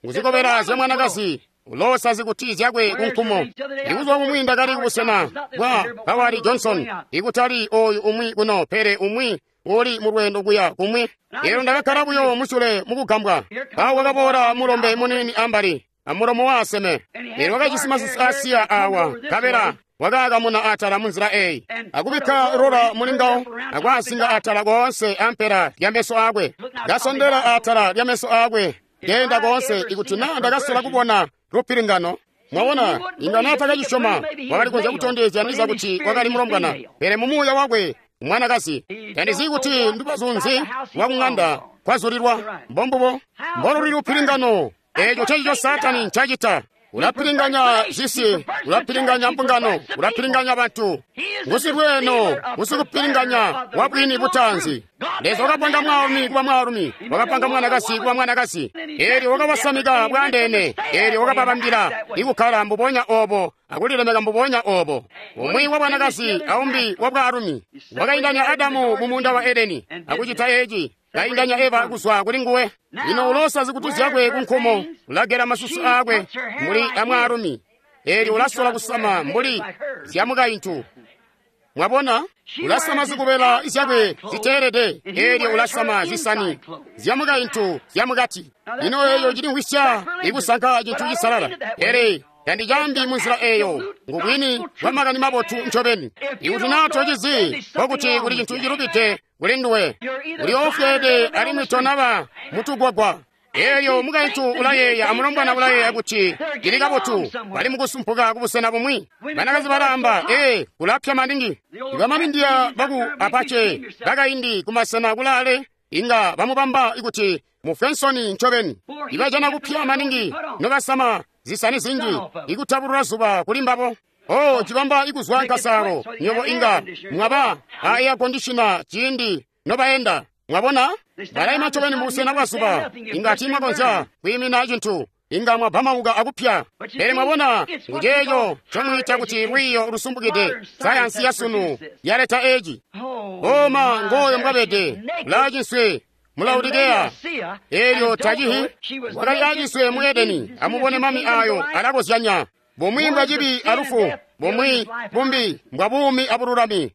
Nguzikobela zya mwanakazi ulosa zikuti zyakwe kunkumo. Ikuzwa kumwi ndakali kubusena bwa Howard Johnson, ikutali oyu umwi kuno, pele umwi uli mulweendo kuya kumwi. Elyo ndakakkala buyo musule mukugambwa. Awo wakaboola mulombe muniini ambali amulomo waaseme. Elyo wakajisi masusu asiya awa, nkabela wakaakamuna atala munzila eyi, akubikka rola mulingawo, akwaasinga atala koonse ampela lya meso aakwe, kasondela atala lya meso aakwe ngeenda koonse. Ikuti naa ndakasola kubona lupilingano, mwabona, inga naatakacisyoma. Wakali konzya kutondezya ndiza kuti wakali mulombwana, pele mumuuya wakwe mwanakazi. Tandizyi kuti ndubazu nzi lwakuŋanda kwazulilwa. Mbombubo mboluli lupilingano. Eeco ncecico Saatani ncacita. Ulapilinganya zisi, ulapilinganya mbungano, ulapilinganya bantu. Ngusilweeno, ngusikupilinganya wa bwini butaanzi. Leza wakapanga mwaalumi kuba mwaalumi, wakapanga mwanakazi kuba mwanakazi. Eelyo wakabasamika bwaandeene, eelyo wakababambila ikukkala mbubonya oobo akulilemeka mbubonya oobo. Umwi wa bwanakazi aumbi wa bwaalumi. Wakaindanya Adamu mu muunda wa Edeni akucita eeci. Kaindanya Eva kuzwa kuli nguwe. Lino ulosa zikutu zyakwe kunkomo, ulagela masusu aakwe mbuli amwaalumi. Eelyo ulasola kusama mbuli zya mukaintu. Mwabona, ulasama zikobela zyakwe ziteelede, eelyo ulasama zisani zya mukaintu zya mukati. Lino eeyo cilimvwisya ikusanka cintu cisalala, pele tandicaambi munzila eeyo. Ngubwini bwa makani mabotu ncobeni. Ikuti naa tocizi, nkokuti kuli cintu cilubide kuli nduwe. Uli ofweede alimwi tonaba mutugwagwa. Eelyo mukaintu ulayeeya amulombwana ulayeeya kuti cili kabotu, bali mukusumpuka kubusena bumwi. Banakazi balaamba, ee, kulapya maningi. Ibamamindiya baku Apache bakaindi kumasena kulaale inga bamubamba ikuti mufensoni ncobeni. Ibajana kupya maningi nobasama zisani zinji, ikutabulula zuba kuli mbabo. Oh, cibamba ikuzwa nkasaalo, nyobo inga mwaba a air conditioner ciindi nobaenda. Mwabona, balaima ncobeni mubusena bwa zuba, inga tiimwakonzya kwiimina cintu, inga mwabamauka akupya. Pele mwabona, nguceeco ncomwiita kuti lwiiyo lusumpukide, sayansi yasunu yaleta eeci. Oma ngooyo mbwabede, ulaacinswe mulaodikeya. Eelyo tacihi wakali aacinswe mu Edeni. Amubone mami aayo alakozyanya. Bumwi mbwa cibi alufu, bumwi bumbi mbwa buumi abululami.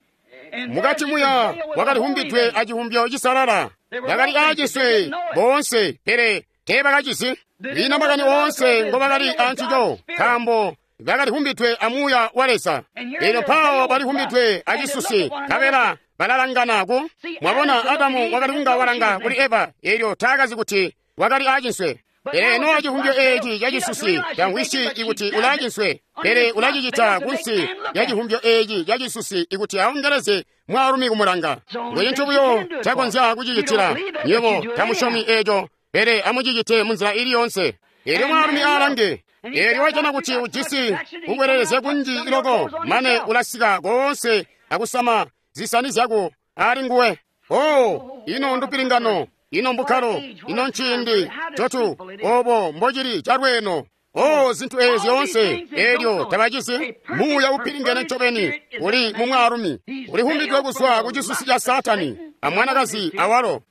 Mukati muya wakalihumbidwe acihumbyo cisalala. Bakali aacinswe boonse, pele teebakacizi. Lino makani oonse ngobakali aancico, nkaambo bakalihumbidwe amuuya wa Leza. Eelyo mpawo balihumbidwe acisusi, nkabela balalangana ku. Mwabona, Adamu wakali kunga walanga kuli Eva, eelyo taakazi kuti wakali aacinswe. Pele no cihumbyo eeci cacisusi tamvwisyi ikuti ulaacinswe, pele ulacicita kunsi lya cihumbyo eeci cacisusi ikuti aongeleze mwaalumi kumulanga. Ngu buyo cakonzya kucicitila. Nywebo tamusyomi eeco, pele amucicite munzila ili yoonse. Eelyo mwaalumi aalange, eelyo wajana kuti ujisi kukwelelezya kunji loko, mane ulasika koonse akusama zisani zyako ali nguwe. Oh, ino ndupilingano, ino mbukkalo, ino nciindi cotu obo mbocili calweeno. Oh, zintu eezi zyoonse, eelyo tabacizi. Muuya upilingene ncobeni uli mu mwaalumi, ulihumbidwe kuzwa ku cisusi ca Saatani amwanakazi awalo.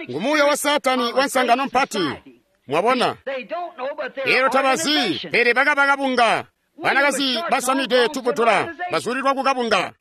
Ngumuuya wa Saatani wa nsangano mpati. Mwabona, eelyo tabazi, pele bakaba kabunga. Banakazi basamide tuputula bazulilwa ku kabunga.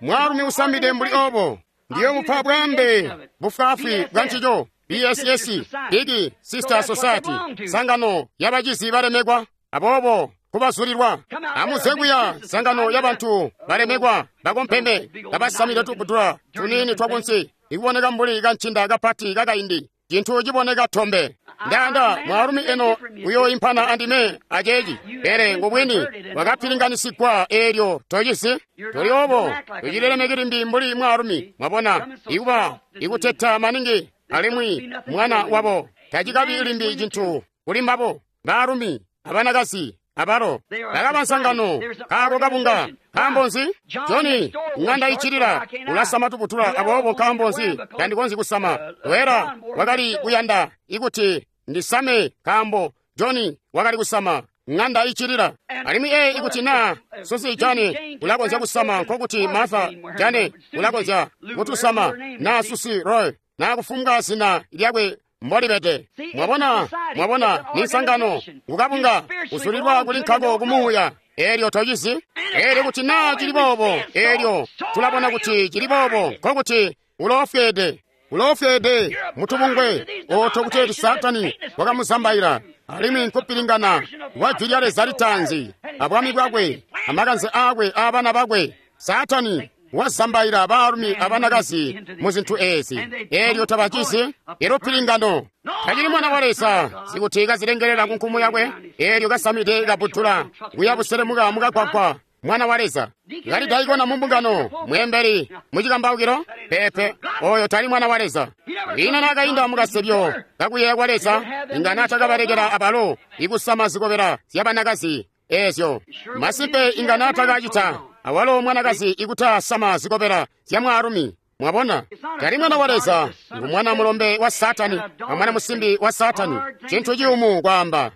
Mwaalumi usamide mbuli obo ndiyo mupha bwambe bufwaafwi bwa ncico. B S S, Big Sister Society, sangano yabacizi balemekwa, aboobo kubazulilwa. Amuze kuya sangano yabantu balemekwa bakompeme kabasamide tuputula tuniini twakunsi, ikuboneka mbuli kancinda kapati kakaindi, cintu ciboneka tombe. Nda nda mwaalumi eno uyooimpana andime aceeci, pele ngubwini wakapilinganisigwa eelyo tocizi. Toli obo tocilelemeki limbi mbuli mwaalumi, mwabona, ikuba ikuteta maningi, alimwi mwana wabo tacikabi limbi cintu kuli mbabo, baalumi abanakazi abalo bakaba nsangano kaako kabunga. Nkaambo nzi? Joni ng'anda iccilila ulasama tuputula, aboobo nkaambo nzi tandikonzyi kusama? Lwera wakali kuyanda ikuti ndisame nkaambo Joni wakali kusama ng'anda iccilila. Alimwi ee ikuti naa Susi Jane ulakonzya kusama, nkokuti Martha Jane ulakonzya kutusama, naa Susi Roy, naa kufumbwa zina lyakwe mbolibede. Mwabona, mwabona, ni nsangano, kukabunga kuzulilwa kuli nkako kumuuya. Eelyo tocizi. Eelyo kuti naa cili boobo, eelyo tulabona kuti cili boobo, nkokuti uloofweede, uloofweede mutubungwe oto kuteeti Saatani wakamuzambaila, alimwi nkupilingana kwa jwi lya Leza litaanzi, abwami bwakwe, amakanze aakwe aabana bakwe. Saatani wazambaila baalumi abanakazi mu zintu eezi, eelyo tabacizi. Elo pilingano tacili mwana wa Leza sikuti kazilengelela ku nkumu yakwe, eelyo kasamide kabutula kuya buselemuka mukagwagwa. Mwana wa Leza kali daikona mu mbungano, mweembeli mucikambaukilo, peepe, oyo tali mwana wa Leza. Ina naakainda mukasebyo kakuyeeya kwa Leza, inga naatakabalekela abalo ikusama zikobela zyabanakazi eezyo. Masimpe inga naatakacita awalo mwanakazi ikutasama zikobela zya mwaalumi. Mwabona, tali mwana wa Leza, ngu mwana mulombe wa Saatani amwana musimbi wa Saatani. Cintu ciyumu kwaamba.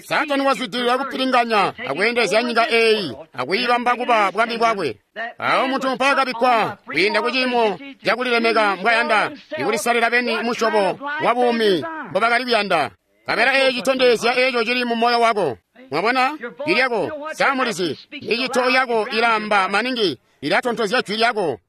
Saatani wazwidilila kupilinganya akweendezya nyika eeyi akuyibamba kuba bwami bwakwe. Awo muntu mpaakabikkwa kwiinda ku ciimo cakulilemeka mbwayanda, ikulisalila beni musyobo wa buumi mbobakali kuyanda. Kamera eeyi citondezya eeco cili mu moyo wako. Mwabona, jwi lyako samulizi, micito yako ilamba maningi, ilatontozya jwi lyako.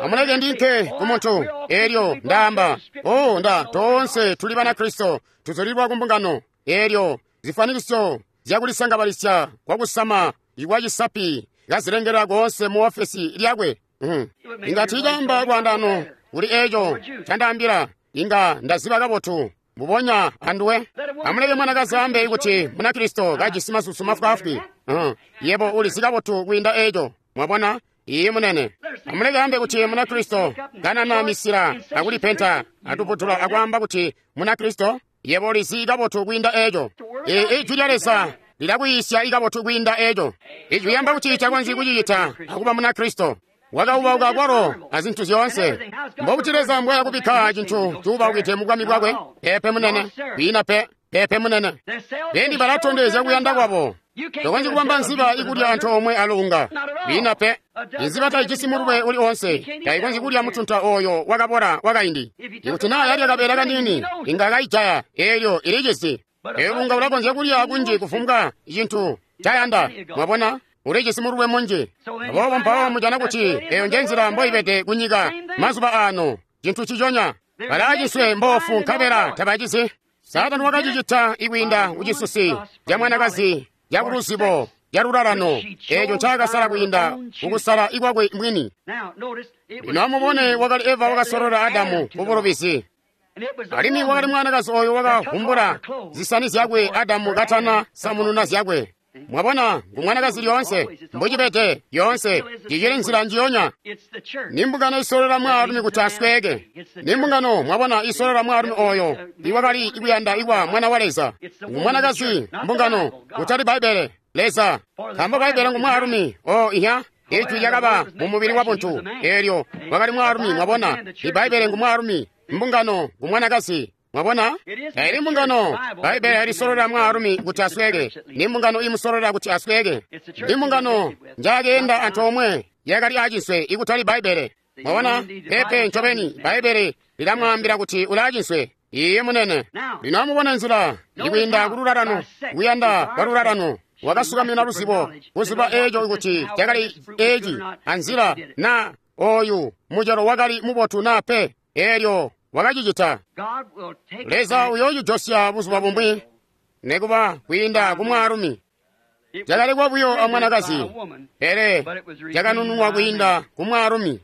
Amuleke ndinke ku muntu eelyo ndaamba, oh, nda toonse tuli Banakristo, tuzulilwa ku mbungano. Eelyo zifwanikiso zyakulisangabalisya kwakusama ikwa cisapi kazilengelela koonse mu ofesi lyakwe. Inga tiicaamba lwaandano kuli eeco candaambila, inga ndaziba kabotu mbubonya anduwe. Amuleke mwanakazi ambe kuti Munakristo kajisi masusu mafwaafwi. Uh, yebo ulizi kabotu kwiinda eeco. Mwabona? Iye munene. Amuleke ambe kuti Munakristo kanana misila akulipenta atuputula akwaamba kuti Munakristo. Yebo ulizi kabotu kwiinda eeco. Ijwi lya Leza lilakuyisya ikabotu kwiinda eeco. Ijwi lyamba kuti takonzyi kucicita akuba Munakristo. Wakaubauka kwalo azintu zyoonse. Mbokuti Leza mbwaya kubikka cintu cuubaukide mu bwami bwakwe? Peepe munene, kwiina pe, peepe munene. Beni balatondezya kuyanda kwabo. Tokonzyi kubamba nziba ikulya antoomwe alunga. Kwiina pe. Inziba taijisi mulubwe uli oonse, taikonzyi kulya mutunta ooyo wakabora wakaindi. Ikuti naa yalya kabeela kaniini, inga kaijaya, eelyo ilijisi. Elunga ulakonzya kulya kunji kufumbwa cintu cayanda. Mwabona? Ulijisi mulubwe munji. Aboobo mpawo mujana kuti eyo njenzila mboibede kunyika mazuba aano, cintu ciconya. Balaaciswe mboofu nkabela tabacizi. Saatani wakacicita ikwiinda kucisusi ca mwanakazi cakuluzibo calulalano eeco ncaakasala kwiinda kukusala ikwakwe mwini. Lino amubone, wakali Eva wakasolola Adamu kubulubizi, alimwi wakali mwanakazi oyo wakavumbula zisani zyakwe Adamu katana samununa zyakwe. Mwabona, ngu mwanakazi lyoonse mbucibede lyoonse, cicili nzila njiyonya. Ni mbungano isolola mwaalumi kuti asweke. Ni mbungano, mwabona, isolola mwaalumi oyo iwakali kuyanda ikwa mwana wa Leza. Ngu mwanakazi, mbungano, kutali Bbaibbele, Leza. Nkaambo Bbaibbele ngu mwaalumi, oh iya, ijwi lyakaba mu mubili wa buntu, eelyo wakali mwaalumi. Mwabona, Ibbaibbele ngu mwaalumi, mbungano ngu mwanakazi. Mwabona, taili mbungano. Bbaibbele lisolola mwaalumi kuti asweke, ni mbungano imusolola kuti asweke. Ni mbungano njakeenda antoomwe yakali acinswe ikutali Bbaibbele. Mwabona, peepe ncobeni Bbaibbele lilamwaambila kuti ulaacinswe. Iye munene. Lino amubone nzila ikwiinda kululalano, kuyanda kwalulalano wakasukamina luzibo, kuziba eeco kuti cakali eeci anzila na oyu mucelo wakali mubotu na pe, eelyo wakacicita. Leza uyoocijosya buzuba bumwi, nekuba kwiinda ku mwaalumi. Cakalekwa buyo a mwanakazi, pele cakanununwa kwiinda ku mwaalumi.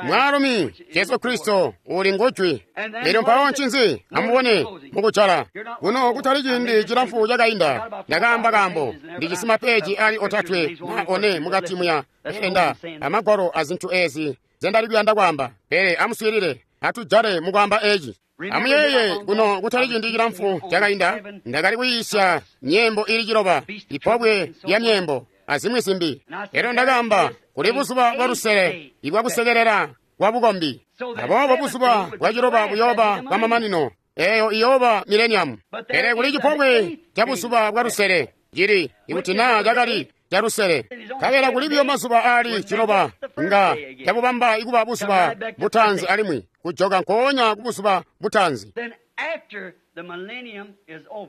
Mwaalumi Jesu Kristo uli ngujwi. Elyo mpawo ncinzi? Amubone mukujala kuno kutali ciindi cilamfu cakainda ndakaamba kaambo ndijisi mapeeji ali otatwe na one mukati muya, pele nda amagwalo azintu ezi zendali kuyanda kwaamba. Pele amuswiilile, atujale mukwaamba eci. Amuyeeye kuno kutali ciindi cilamfu cakainda ndakali kuyiisya myembo ili ciloba, ipobwe lya myembo azimwi zimbi. Elyo ndakaamba kuli buzuba bwa lusele ibwakusekelela kwa bukombi, aboobo buzuba bwa ciloba buyooba bwamamanino, eyo iyooba mileniamu. Pele kuli cipobwe ca buzuba bwa lusele cili ikuti naa cakali ca lusele, nkabela kuli buyo mazuba aali ciloba nga cabubamba ikuba buzuba butaanzi alimwi kujoka nkoonya kubuzuba butaanzi.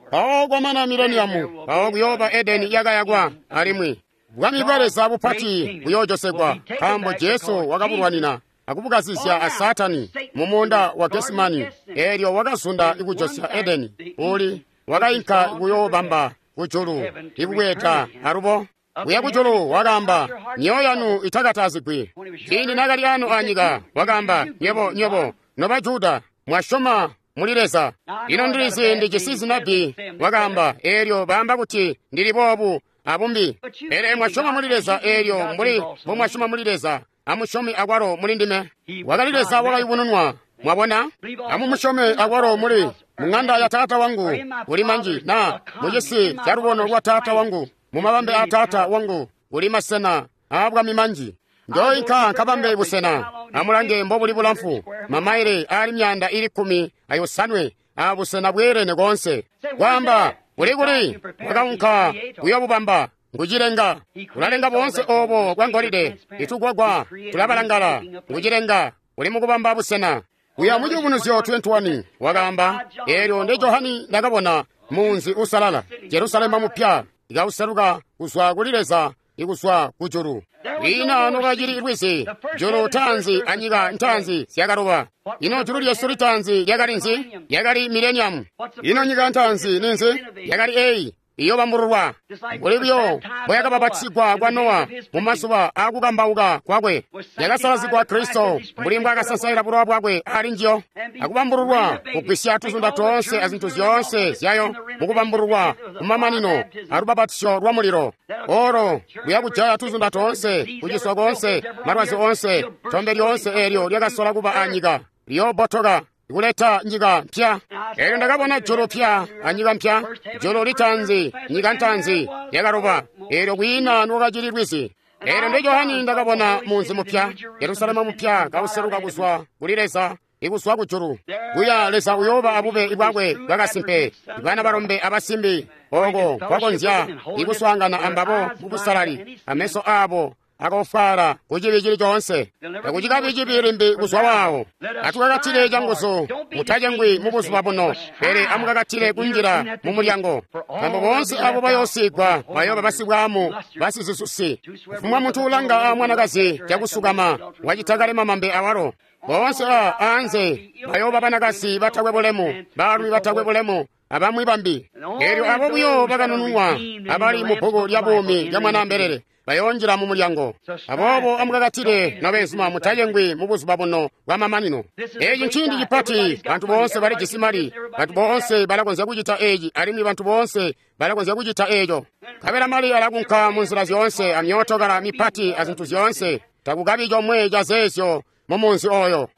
Mpawo kwamana mileniamu, mpawo kuyooba Edeni yakayakwa alimwi bwami bwa Leza bupati buyoojosegwa, nkaambo Jesu wakabulwanina akubukazizya a Saatani mu muunda wa Gesemani, eelyo wakazunda ikujosya Edeni uli wakainka kuyoobamba kujulu ikubweeda alubo kuya kujulu. Wakaamba, myoyo yanu itakatazigwi. Ciindi naakali ano anyika wakaamba, nywebo nywebo noba Juda mwasyoma muli Leza. Ino ndilizi ndijisi zina bbi, wakaamba, eelyo baamba kuti ndili boobu abumbi. Pele mwasyoma muli Leza, eelyo mbuli mbomwasyoma muli Leza, amusyomi akwalo muli ndime. Wakali Leza wakayubununwa. Mwabona? Amumusyome akwalo muli muŋanda ya Taata wangu kuli manji, na mucisi ca lubono lwa Taata wangu, mumabambe a Taata wangu kuli masena aabwami manji. Njoinka nkabambe busena. Amulange mbobuli bulamfu, mamaile aali myaanda ili kkumi ayosanwe abusena bweelene koonse. Kwaamba kuli kuli wakaunka kuyobubamba ngucilenga, ulalenga boonse obo bwa ngolide, itugwagwa tulabalangala, ngucilenga uli mukubamba busena. Kuya mu Ciyubunuzyo twenty-one wakaamba, eelyo nde Johani ndakabona munzi usalala, Jerusalema mupya, ikauseluka kuzwa kuli Leza ikuzwa kujulu. Ina nokacili lwizi, julu taanzi anyika ntaanzi zyakaloba. Ino julu lyesu litaanzi lyakali nzi? Lyakali mileniamu. Ino nyika ntaanzi ninzi? Yakali eyi iyobambululwa mbuli buyo mbwayakabapatizigwa kwa Nowa mu mazuba aakukambauka kwakwe, yakasalazigwa Kristo mbuli mbwaakasansaila bulowa bwakwe ali njiyo, akubambululwa kugwisya tuzunda toonse azintu zyoonse zyayo mukubambululwa kumamanino alubapatizyo lwa mulilo olo luyakujaya tuzunda toonse, kuciswa koonse, malwazi oonse, tombe lyoonse eelyo lyakasola kuba anyika liyoobotoka kuleta nyika mpya. Eelyo ndakabona julu pya anyika mpya, julu litaanzi nyika ntaanzi yakaloba, eelyo kwiina nokacili lwizi. Eelyo nde Johani ndakabona munzi mupya, Yerusalemu mupya, kauseluka kuzwa kuli Leza ikuzwa kujulu. Kuya Leza uyooba abube bwakwe bwakasimpe, bana balombe abasimbi, oko kwakonzya ikuswaangana ambabo mubusalali, ameso aabo akofwala kucibi cili coonse, takucikabi cibi limbi kuzwa waawo. Atukakatile canguzu, mutacengwi mubuzuba buno, pele amukakatile kunjila mu mulyango, nkaambo boonse abo bayoosigwa bayooba basibwaamu basizisusi. Kufumbwa muntu ulanga a mwanakazi cakusukama wacita kale mamambe awalo. Boonse a aanze bayooba banakazi batakwe bulemu, baalumi batakwe bulemu, abamwi bambi. Eelyo abo buyo bakanununwa abali mu bbuku lya buumi lya Mwanaambelele bayoonjila mu mulyango. Aboobo amukakatile nobenzuma, mutacengwi mubuzuba buno bwamamanino. Eeci nciindi cipati, bantu boonse balijisi mali, bantu boonse balakonzya kucita eeci, alimwi bantu boonse balakonzya kucita eeco. Nkabela mali alakunka munzila zyoonse, amyootokala mipati azintu zyoonse. Takukabi comwe ca zeezyo mumunzi oyo.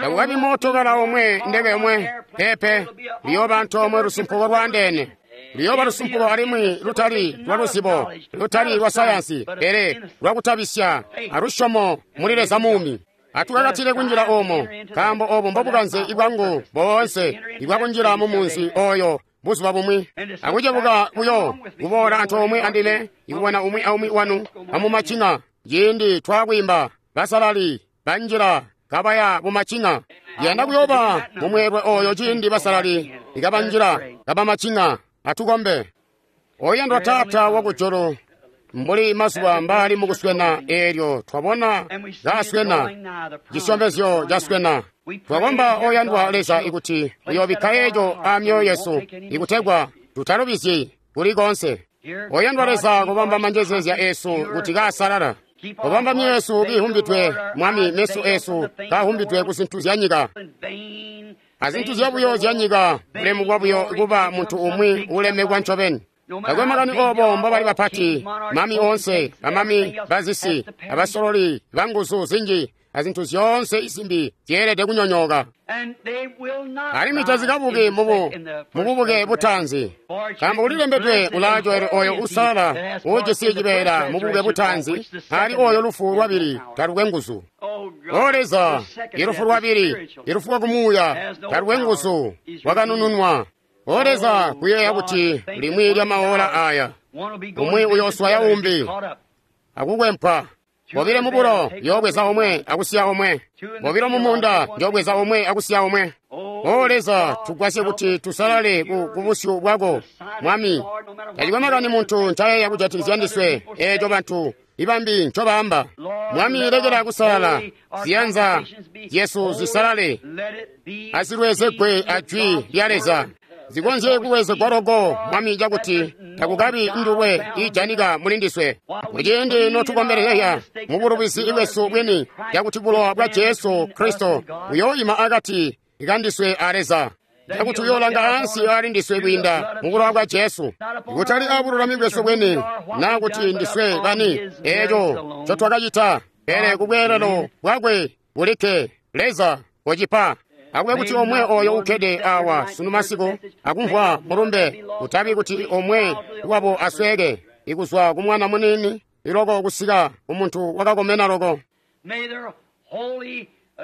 Takukabi mootokala omwe, ndeke yomwe, pepe, luyooba antoomwe lusumpuko lwaandeene. Luyooba lusumpuko alimwi lutali lwa luzibo, lutali lwa sayansi, pele lwakutabisya alusyomo muli Leza muumi. Atukakatile kunjila oomo, nkaambo obo mbobukanze ibwangu boonse ibwakunjila mumunzi oyo buzuba bumwi. Akucebuka buyo kuboola antoomwe andime, ikubona umwi aumwi wanu amumacinga ciindi twakwiimba basalali banjila kabaya bumacinga. Yanda kuyooba mumweelwe oyo ciindi basalali ikabanjila kabamacinga. Atukombe. Oyandwa Taata wakujulu, mbuli mazuba mbaali mukuswena, eelyo twabona kaaswena, cisyomezyo caswena. Twakomba oyandwa Leza ikuti uyoobikka eeco amyoyo yesu ikutegwa tutalubizyi kuli koonse. Oyandwa Leza, kubamba manjezeezya esu kuti kaasalala, kubamba myoyo kiihumbidwe, Mwami, meso esu kaahumbidwe ku zintu zya nyika azintu zyabuyo zya nyika, bulemu bwabuyo kuba muntu umwi ulemekwa ncobeni. Takwe makani obo mbobali bapati, mami onse, bamami bazisi, abasololi banguzu zinji, azintu zyoonse izimbi zyeelede kunyonyooka. Alimwi tazikabuki mububuke butaanzi, nkaambo kulilembedwe ulaacoelo oyo usalala uujisi cibeela mububuke butaanzi, ali oyo lufu lwabili talukwe nguzu. O Leza, ilufu lwabili, ilufu lwa kumuuya, talukwe nguzu, wakanununwa. O Leza, kuyeeya kuti limwi lya maola aya, umwi uyooswaya umbi akukwempa. Bobile mubulo njoobweza omwe akusiya omwe, bobilo mumunda njoobweza omwe akusiya omwe. O Leza, tugwasye kuti tusalale ku busyu bwako, Mwami. Tacikwe makani muntu ncayeeya kujatikizya ndiswe, eeco bantu ibambi ncobaamba. Mwami, lekela kusalala, ziyanza zyesu zisalale, azilwezegwe ajwi lya Leza. Zikonzye kuwezegwa loko, Mwami, cakuti takukabi ndulwe iijanika muli ndiswe. Kuciindi notukombelezya mubulubizi bwesu bwini, cakuti bulowa bwa Jesu Kristo buyooima akati kandiswe a Leza, cakuti uyoolanga ansi ali ndiswe kwiinda mubulowa bwa Jesu, kutali abululami bwesu bwini naa kuti ndiswe bani eeco ncotwakacita, pele kubweelelo bwakwe bulikke. Leza kocipa. Akube kuti omwe oyo ukkede awa sunu masiku akumvwa mulumbe, kutabi kuti omwe wabo asweke, ikuzwa ku mwana muniini iloko kusika ku muntu wakakomena loko.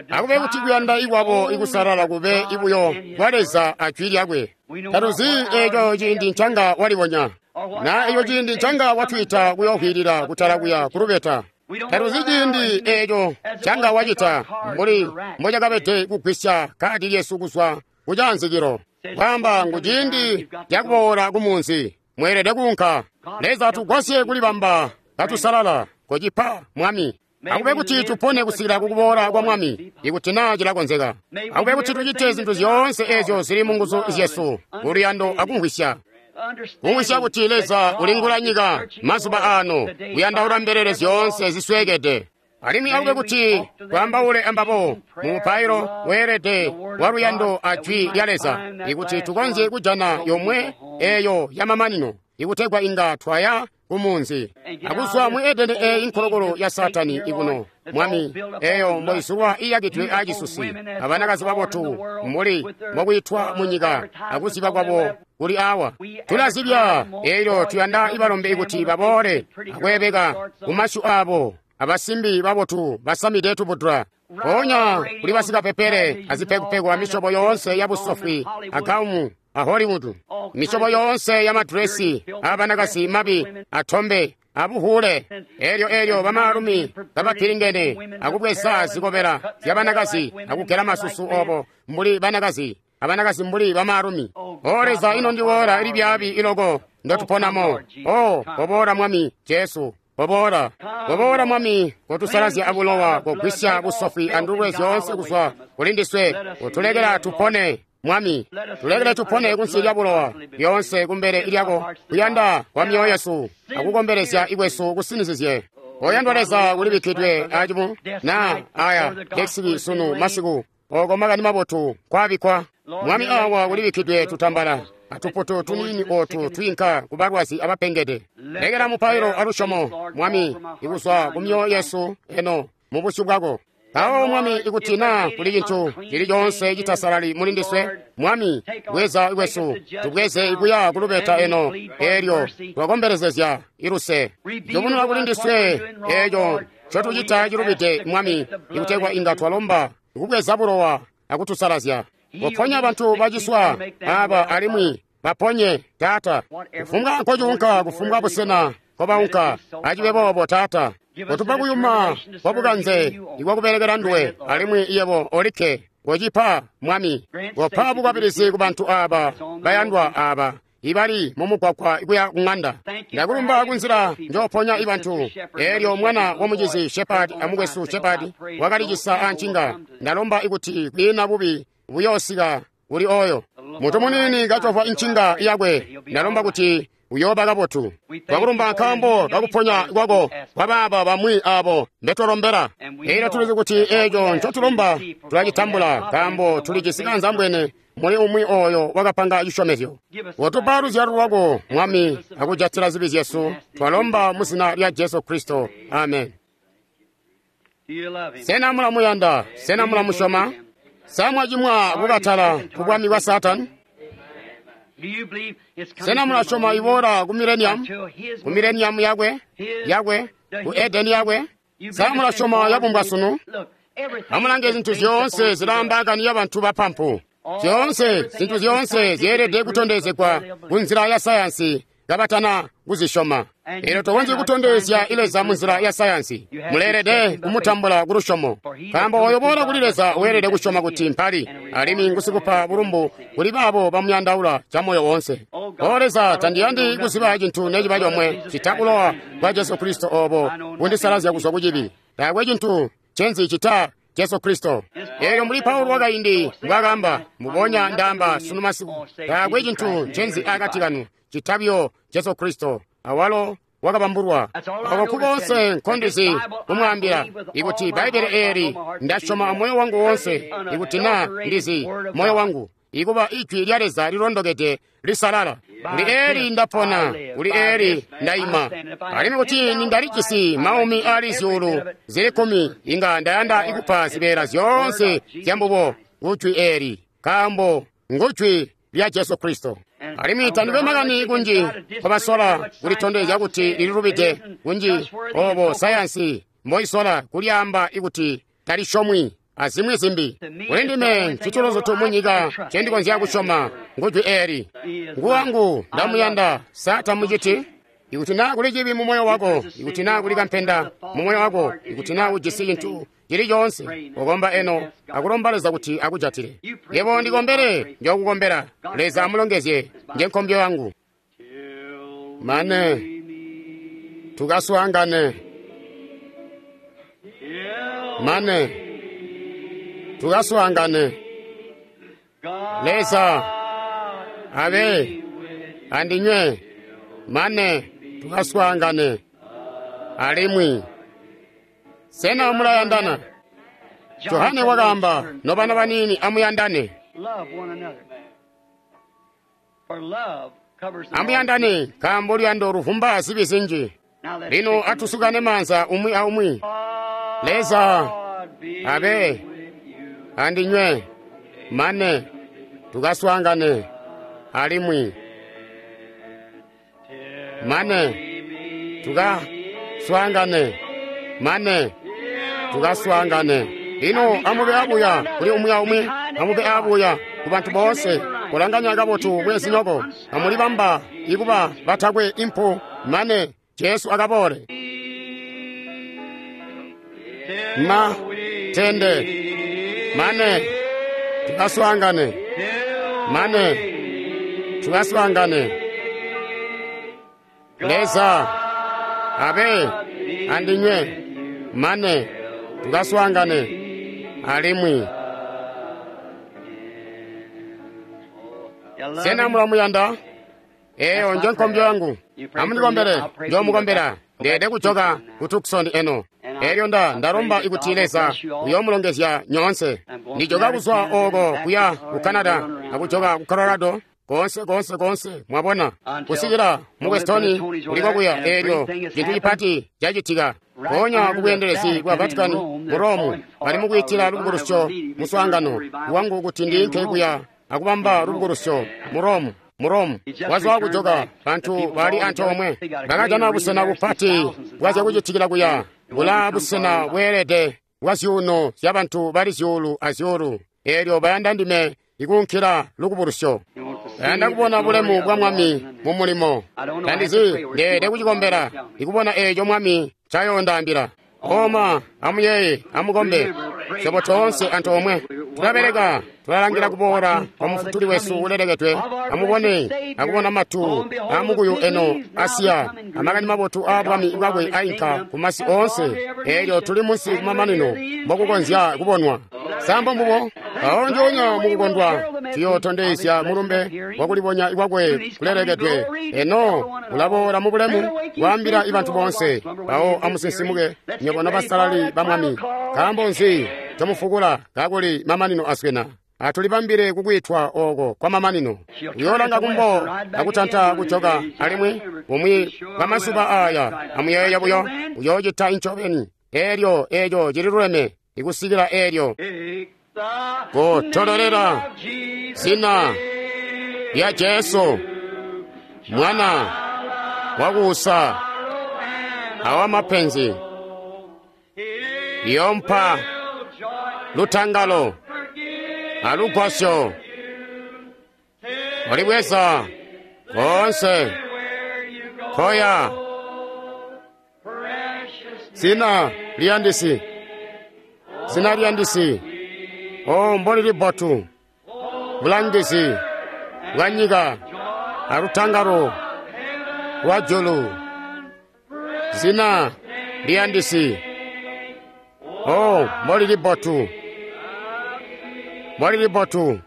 Akube kuti kuyanda ikwabo ikusalala kube ibuyo kwa Leza ajwi lyakwe. Tatuzi eeco ciindi ncanga walibonya, na eco ciindi ncanga watwiita kuyohwilila kutala kuya kulubeta. Tatuzi ciindi eeco ncanga wacita mbuli mbocakabede kugwisya kadi lyesu kuzwa kucaanzikilo. Kwaamba ngu ciindi cakuboola kumunzi, mweelede kuunka. Leza tugwasye kulibamba katusalala, kocipa, Mwami. Akube kuti tupone kusikila kukuboola kwa Mwami, ikuti naa cilakonzeka. Akube kuti tucite zintu zyoonse eezyo zili mu nguzu zyesu, kuluyando akumvwisya. Kumvwisya kuti Leza ulingula nyika mazuba aano, kuyandaula mbelele zyoonse zisweekede. Alimwi akube kuti twaambaule ambabo mu mupailo weelede wa luyando ajwi lya Leza, ikuti tukonzye kujana yomwe eeyo yamamanino, ikutegwa inga twaya kumunzi akuzwa mu Edeni eyi nkolokolo ya Satani ikuno, Mwami, eyo mboizulwa iyakidwe aacisusi, abanakazi babotu mbuli mbokwiitwa munyika akuziba kwabo kuli awa. Tulazibya elyo tuyanda ibalombe ikuti baboole akweebeka kumasyu abo abasimbi babotu basamide tubudula. Mpoonya kuli basikapepele azipekupeku amisyobo yoonse ya busofwi agaumu a Hollywood, misyobo yoonse ya madresi abanakasi mabi atombe abuhule. Elyo elyo bamaalumi babapilingene akubweza zikobela zyabanakazi akugela masusu obo mbuli banakazi, abanakazi mbuli bamaalumi. O Leza, ino ndiwoola libyaabi iloko ndotuponamo. O koboola, Mwami Jesu, koboola, koboola, Mwami, kotusalazya abulowa, kogwisya busofwi andulwe zyoonse kuzwa kuli ndiswe, kotulekela tupone. Mwami, tulekele tupone kunsi lya bulowa lyoonse kumbele lyako, kuyanda kwa myoyo yesu akukombelezya ikwesu kusinizizye. Oyandwa Leza, kulibikkidwe acimu na aya desiki sunu masiku oko makani mabotu kwabikkwa. Mwami, awa kulibikkidwe tutambala atuputu tuniini otu twiinka kubalwazi abapengede. Lekela mupailo alusyomo, Mwami, ikuzwa ku myoyo yesu eno mu busyu bwako. Mpawo, Mwami, ikuti naa kuli cintu cili coonse citasalali muli ndiswe, Mwami, bweza kwesu, tubweze kuya kulubeta eno, elyo twakombelezezya iluse. Yubununa kuli ndiswe eeco ncotucita cilubide, Mwami, ikutegwa inga twalomba kubweza bulowa akutusalazya. Kuponya bantu baciswa aba alimwi baponye, Taata. Kufumbwa nkocuunka, kufumbwa busena nkobaunka, acibe boobo, Taata. Kotupa kuyuma kwabukanze ikwakubelekela nduwe, alimwi yebo olikke kocipa, Mwami. Kopa bukwabilizi ku bantu aba bayandwa aba ibali mumugwagwa kuya kuŋanda. Ndakulumba kunzila njoponya ibantu. Elyo mwana wamucizi Shepard amukwesu Shepard wakalicisa ancinga. Ndalomba ikuti kwiina bubi buyoosika kuli oyo mutu muniini kacovwa incinga yakwe. Ndalomba kuti uyooba kabotu. Twakulumba nkaambo kakuponya kwako kwabaaba bamwi abo mbetwalombela. Elyo tulizi kuti eeco ncotulomba tulacitambula, nkaambo tulijisi kanzambwene muli umwi oyo wakapanga cisyomezyo. Kotupa luzyalo lwako, Mwami, akujatila zibi zyesu. Twalomba mu zina lya Jesu Kristo. Amen. Sena mulamuyanda? Sena mulamusyoma? Sa mwacimwa kukatala ku bwami bwa Saatani? Sena mulasyoma iboola ku mileniamu, ku mileniamu yakwe, yakwe, ku Edeni yakwe? Sa mulasyoma yabumbwa sunu? Amulange zintu zyoonse zilaambaakani ya bantu bapampu. Zyoonse, zintu zyoonse zyeelede kutondezegwa ku nzila ya sayansi kabatana kuzisyoma. Elyo tokonzyi kutondezya Leza mu nzila ya sayansi. Muleelede kumutambula ku lusyomo. Nkaambo oyo boola kuli Leza weelede kusyoma kuti mpali, alimwi ngusikupa bulumbu kuli baabo bamuyandaula camoyo woonse. O Leza, tandiyandi kuziba cintu neciba comwe cita bulowa bwa Jesu Kristo obo bundisalazya kuzwa ku cibi. Taakwe cintu cenzi cita Jesu Kristo. Elyo mbuli Paulo wakaindi mbwakaamba, mbubonya ndaamba sunu masiku, taakwe cintu ncenzi akati kanu cita buyo Jesu Kristo, awalo wakabambulwa. Oko kukonse nkondizi kumwaambila, ikuti Bbaibbele eeli ndasyoma amoyo wangu woonse, ikuti na ndizi moyo wangu, ikuba ijwi lya Leza lilondokede lisalala. Kuli eeli ndapona, kuli eeli ndaima. Alimwi kuti nindalijisi maumi aali zyuulu zili kkumi, inga ndayanda ikupa zibeela zyoonse zyambubo kujwi eeli, nkaambo ngujwi lya Jesu Kristo. Alimwi tandikwe makani kunji kwabasola kulitondezya kuti lililubide, kunji obo sayansi mboisola kulyaamba ikuti talisyomwi azimwi zimbi. Kuli ndime ncitulozoto munyika ncendikonzya kusyoma ngujwi eeli. Nguwangu, ndamuyanda. Sa tamuciti? Ikuti naa kuli cibi mu moyo wako, ikuti naa kuli kampenda mu moyo wako, ikuti naa ujisi cintu cili coonse, ukomba eno akulomba Leza kuti akujatile. Yebo ndikombele, njokukombela. Leza amulongezye, nje nkombyo yangu. Mane tukaswaangane, mane tukaswaangane. Leza abe andinywe, mane tukaswaangane alimwi. Sena mulayandana? Johane wakaamba, nobana baniini amuyandane. Amuyandane, nkaambo luyando luvumba zibi zinji. Lino atusukane maanza umwi aumwi. Leza abe andinywe, mane tukaswaangane alimwi. Mane tukaswaangane, mane tukaswaangane. Lino amube abuya kuli umwi aumwi, amube abuya ku bantu boonse, kulanganya kabotu bwezinyoko, amulibamba ikuba batakwe impu, mane Jesu akaboole. Ma tende, mane tukaswaangane, mane tukaswaangane. Leza abe andinywe, mane tukaswaangane alimwi. Sena mulamuyanda? Eyo nje nkombyo yangu. Amundikombele, njomukombela. Ndeede kujoka ku Tucson eno. Elyo nda ndalomba ikuti Leza uyoomulongezya nyoonse. Ndijoka kuzwa oko kuya ku Canada akujoka ku Colorado, konse konse konse, mwabona, kusikila mu Westoni kuliko kuya. Elyo cintu cipati cacitika mpoonya ku bweendelezi bwa Vatican mu Rome, bali mukwiitila lubukulusyo muswaangano wangu kuti ndiinke kuya akubamba lubukulusyo mu Rome. Mu Rome wazwa kujoka, bantu bali antoomwe bakajana busena bupati bwazyakucitikila kuya, bula busena bweelede bwa zyuuno zyabantu bali zyuulu azyuulu. Elyo bayanda ndime ikuunkila lukubulusyo. Bayanda kubona bulemu bwa Mwami mu mulimo. Tandizi, ndeede kucikombela ikubona eeco Mwami ncayoondaambila. Oma, amuyeeye, amukombe. Swebo toonse antoomwe tulabeleka, tulalangila kuboola kwa Mufutuli wesu ulelekedwe. Amubone akubona matu amukuyu eno asiya, amakani mabotu aa bwami bwakwe ainka ku masi oonse. Elyo tuli munsi kumamanino mbokukonzya kubonwa. Sambo mbubo. Awo njoonya mukukondwa tuyotondezya mulumbe wakulibonya kwakwe kulelekedwe. Eno ulaboola mubulemu kwaambila ibantu bonse. Awo amusinsimuke nywebo nobasalali ba Mwami. Nkaambo nzi ncomufukula kakuli mamanino aswena? Atulibambile kukwitwa oko kwa mamanino. Uyoolanga kumbo akutanta kujoka alimwi bumwi bwamazuba aya amuyeeya buyo uyoocita incobeni. Elyo eco cililuleme ikusikila elyo kutolelela zina lya Jesu mwana wakuusa awamapenzi yompa lutangalo alugwasyo olibweza koonse koya zina liyandisi zina liyandisi o mbolili bbotu bulangizi bwa nyika alutangalo lwa julu zina liyandisi o mbolili bbotu mbolili bbotu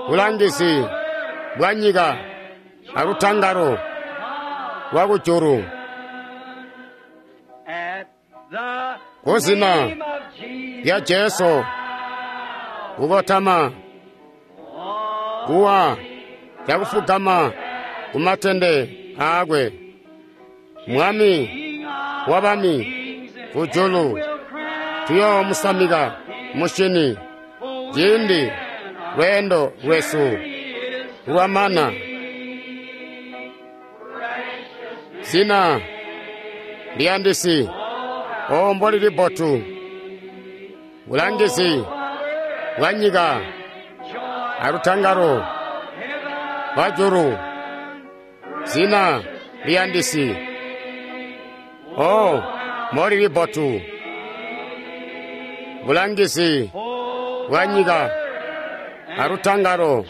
bulangizi bwa nyika alutangalo lwa kujulu kuzina lya Jesu kukotama kuwa cakufugama kumatende aakwe Mwami wabami kujulu tuyoomusamika mushini ciindi lweendo lwesu lwamana. Zina liyandisi o mbolili bbotu bulangizi bwa nyika alutangalo lwa julu zina liyandisi o mbolili bbotu bulangizi bwa nyika alutangalo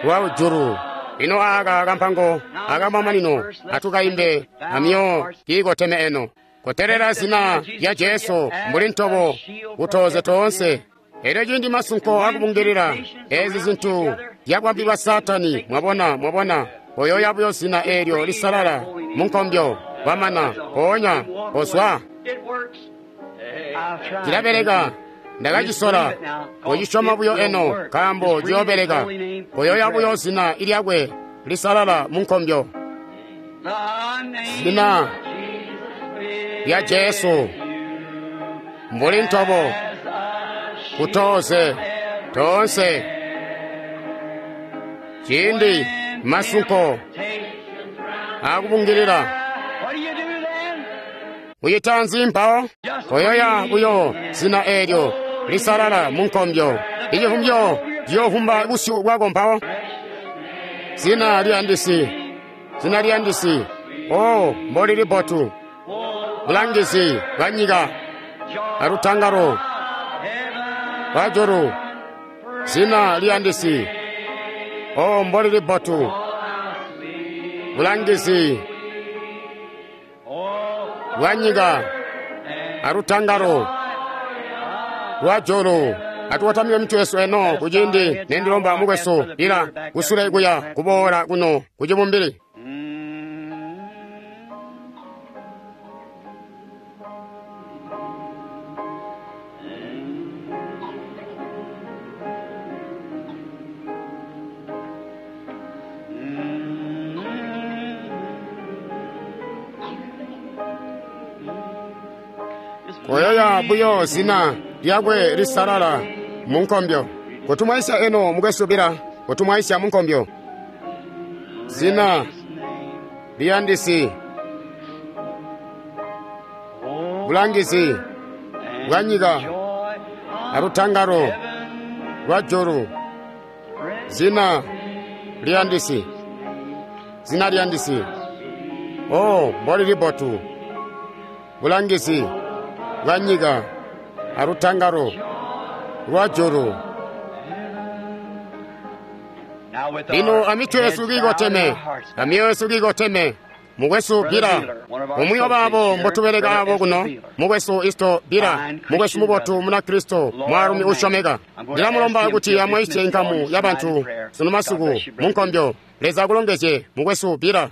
lwa julu. Ino aka kampango akamamanino atukaimbe amyoyo kiikoteme eno kotelela zina lya Jesu mbuli ntobo kutoze toonse. Elyo ciindi masunko akubungilila ezi zintu zyakwambilwa Satani. Mwabona, mwabona oyoya buyo zina eelyo lisalala munkombyo kwamana mpoonya kozwa. Cilabeleka. Ndakacisola. Kocisyoma buyo eno nkaambo ciyoobeleka. Koyoya buyo zina ilyakwe lisalala munkombyo. Zina lya Jesu mbuli ntobo kutoze toonse. Ciindi masunko akubungilila ucita nzi mpawo? Koyoya buyo zina eelyo lisalala munkombyo. Icivumbyo ciyoovumba busyu bwako mpawo. Zina liyandisi, zina liyandisi, o mbolili bbotu bulangizi bwa nyika alutangalo lwa julu zina liyandisi o mbolili bbotu bulangizi bwa nyika alutangalo lwa julu. Atuwatamike mitwe yesu eno kuciindi nendilomba mukwesu ila kusule kuya kuboola kuno kucibumbili. Koyoya buyo zina lyakwe lisalala munkombyo. Kotumwaisya eno mukwesu bila kotumwaisya munkombyo. Zina liyandisi bulangizi bwa nyika alutangalo lwa julu zina liyandisi zina liyandisi o mbolili bbotu bulangizi bwa nyika alutangalo lwa julu. Lino amitwe yesu kiikoteme, amyoyo yesu kiikoteme. Mukwesu Bila, umwi wabaabo mbotubeleka abo kuno, mukwesu Isto Bila, mukwesu mubotu Munakristo, mwaalumi uusyomeka. Ndilamulomba kuti amwaisye nkamu yabantu sunu masiku mu nkombyo. Leza akulongezye, mukwesu Bila.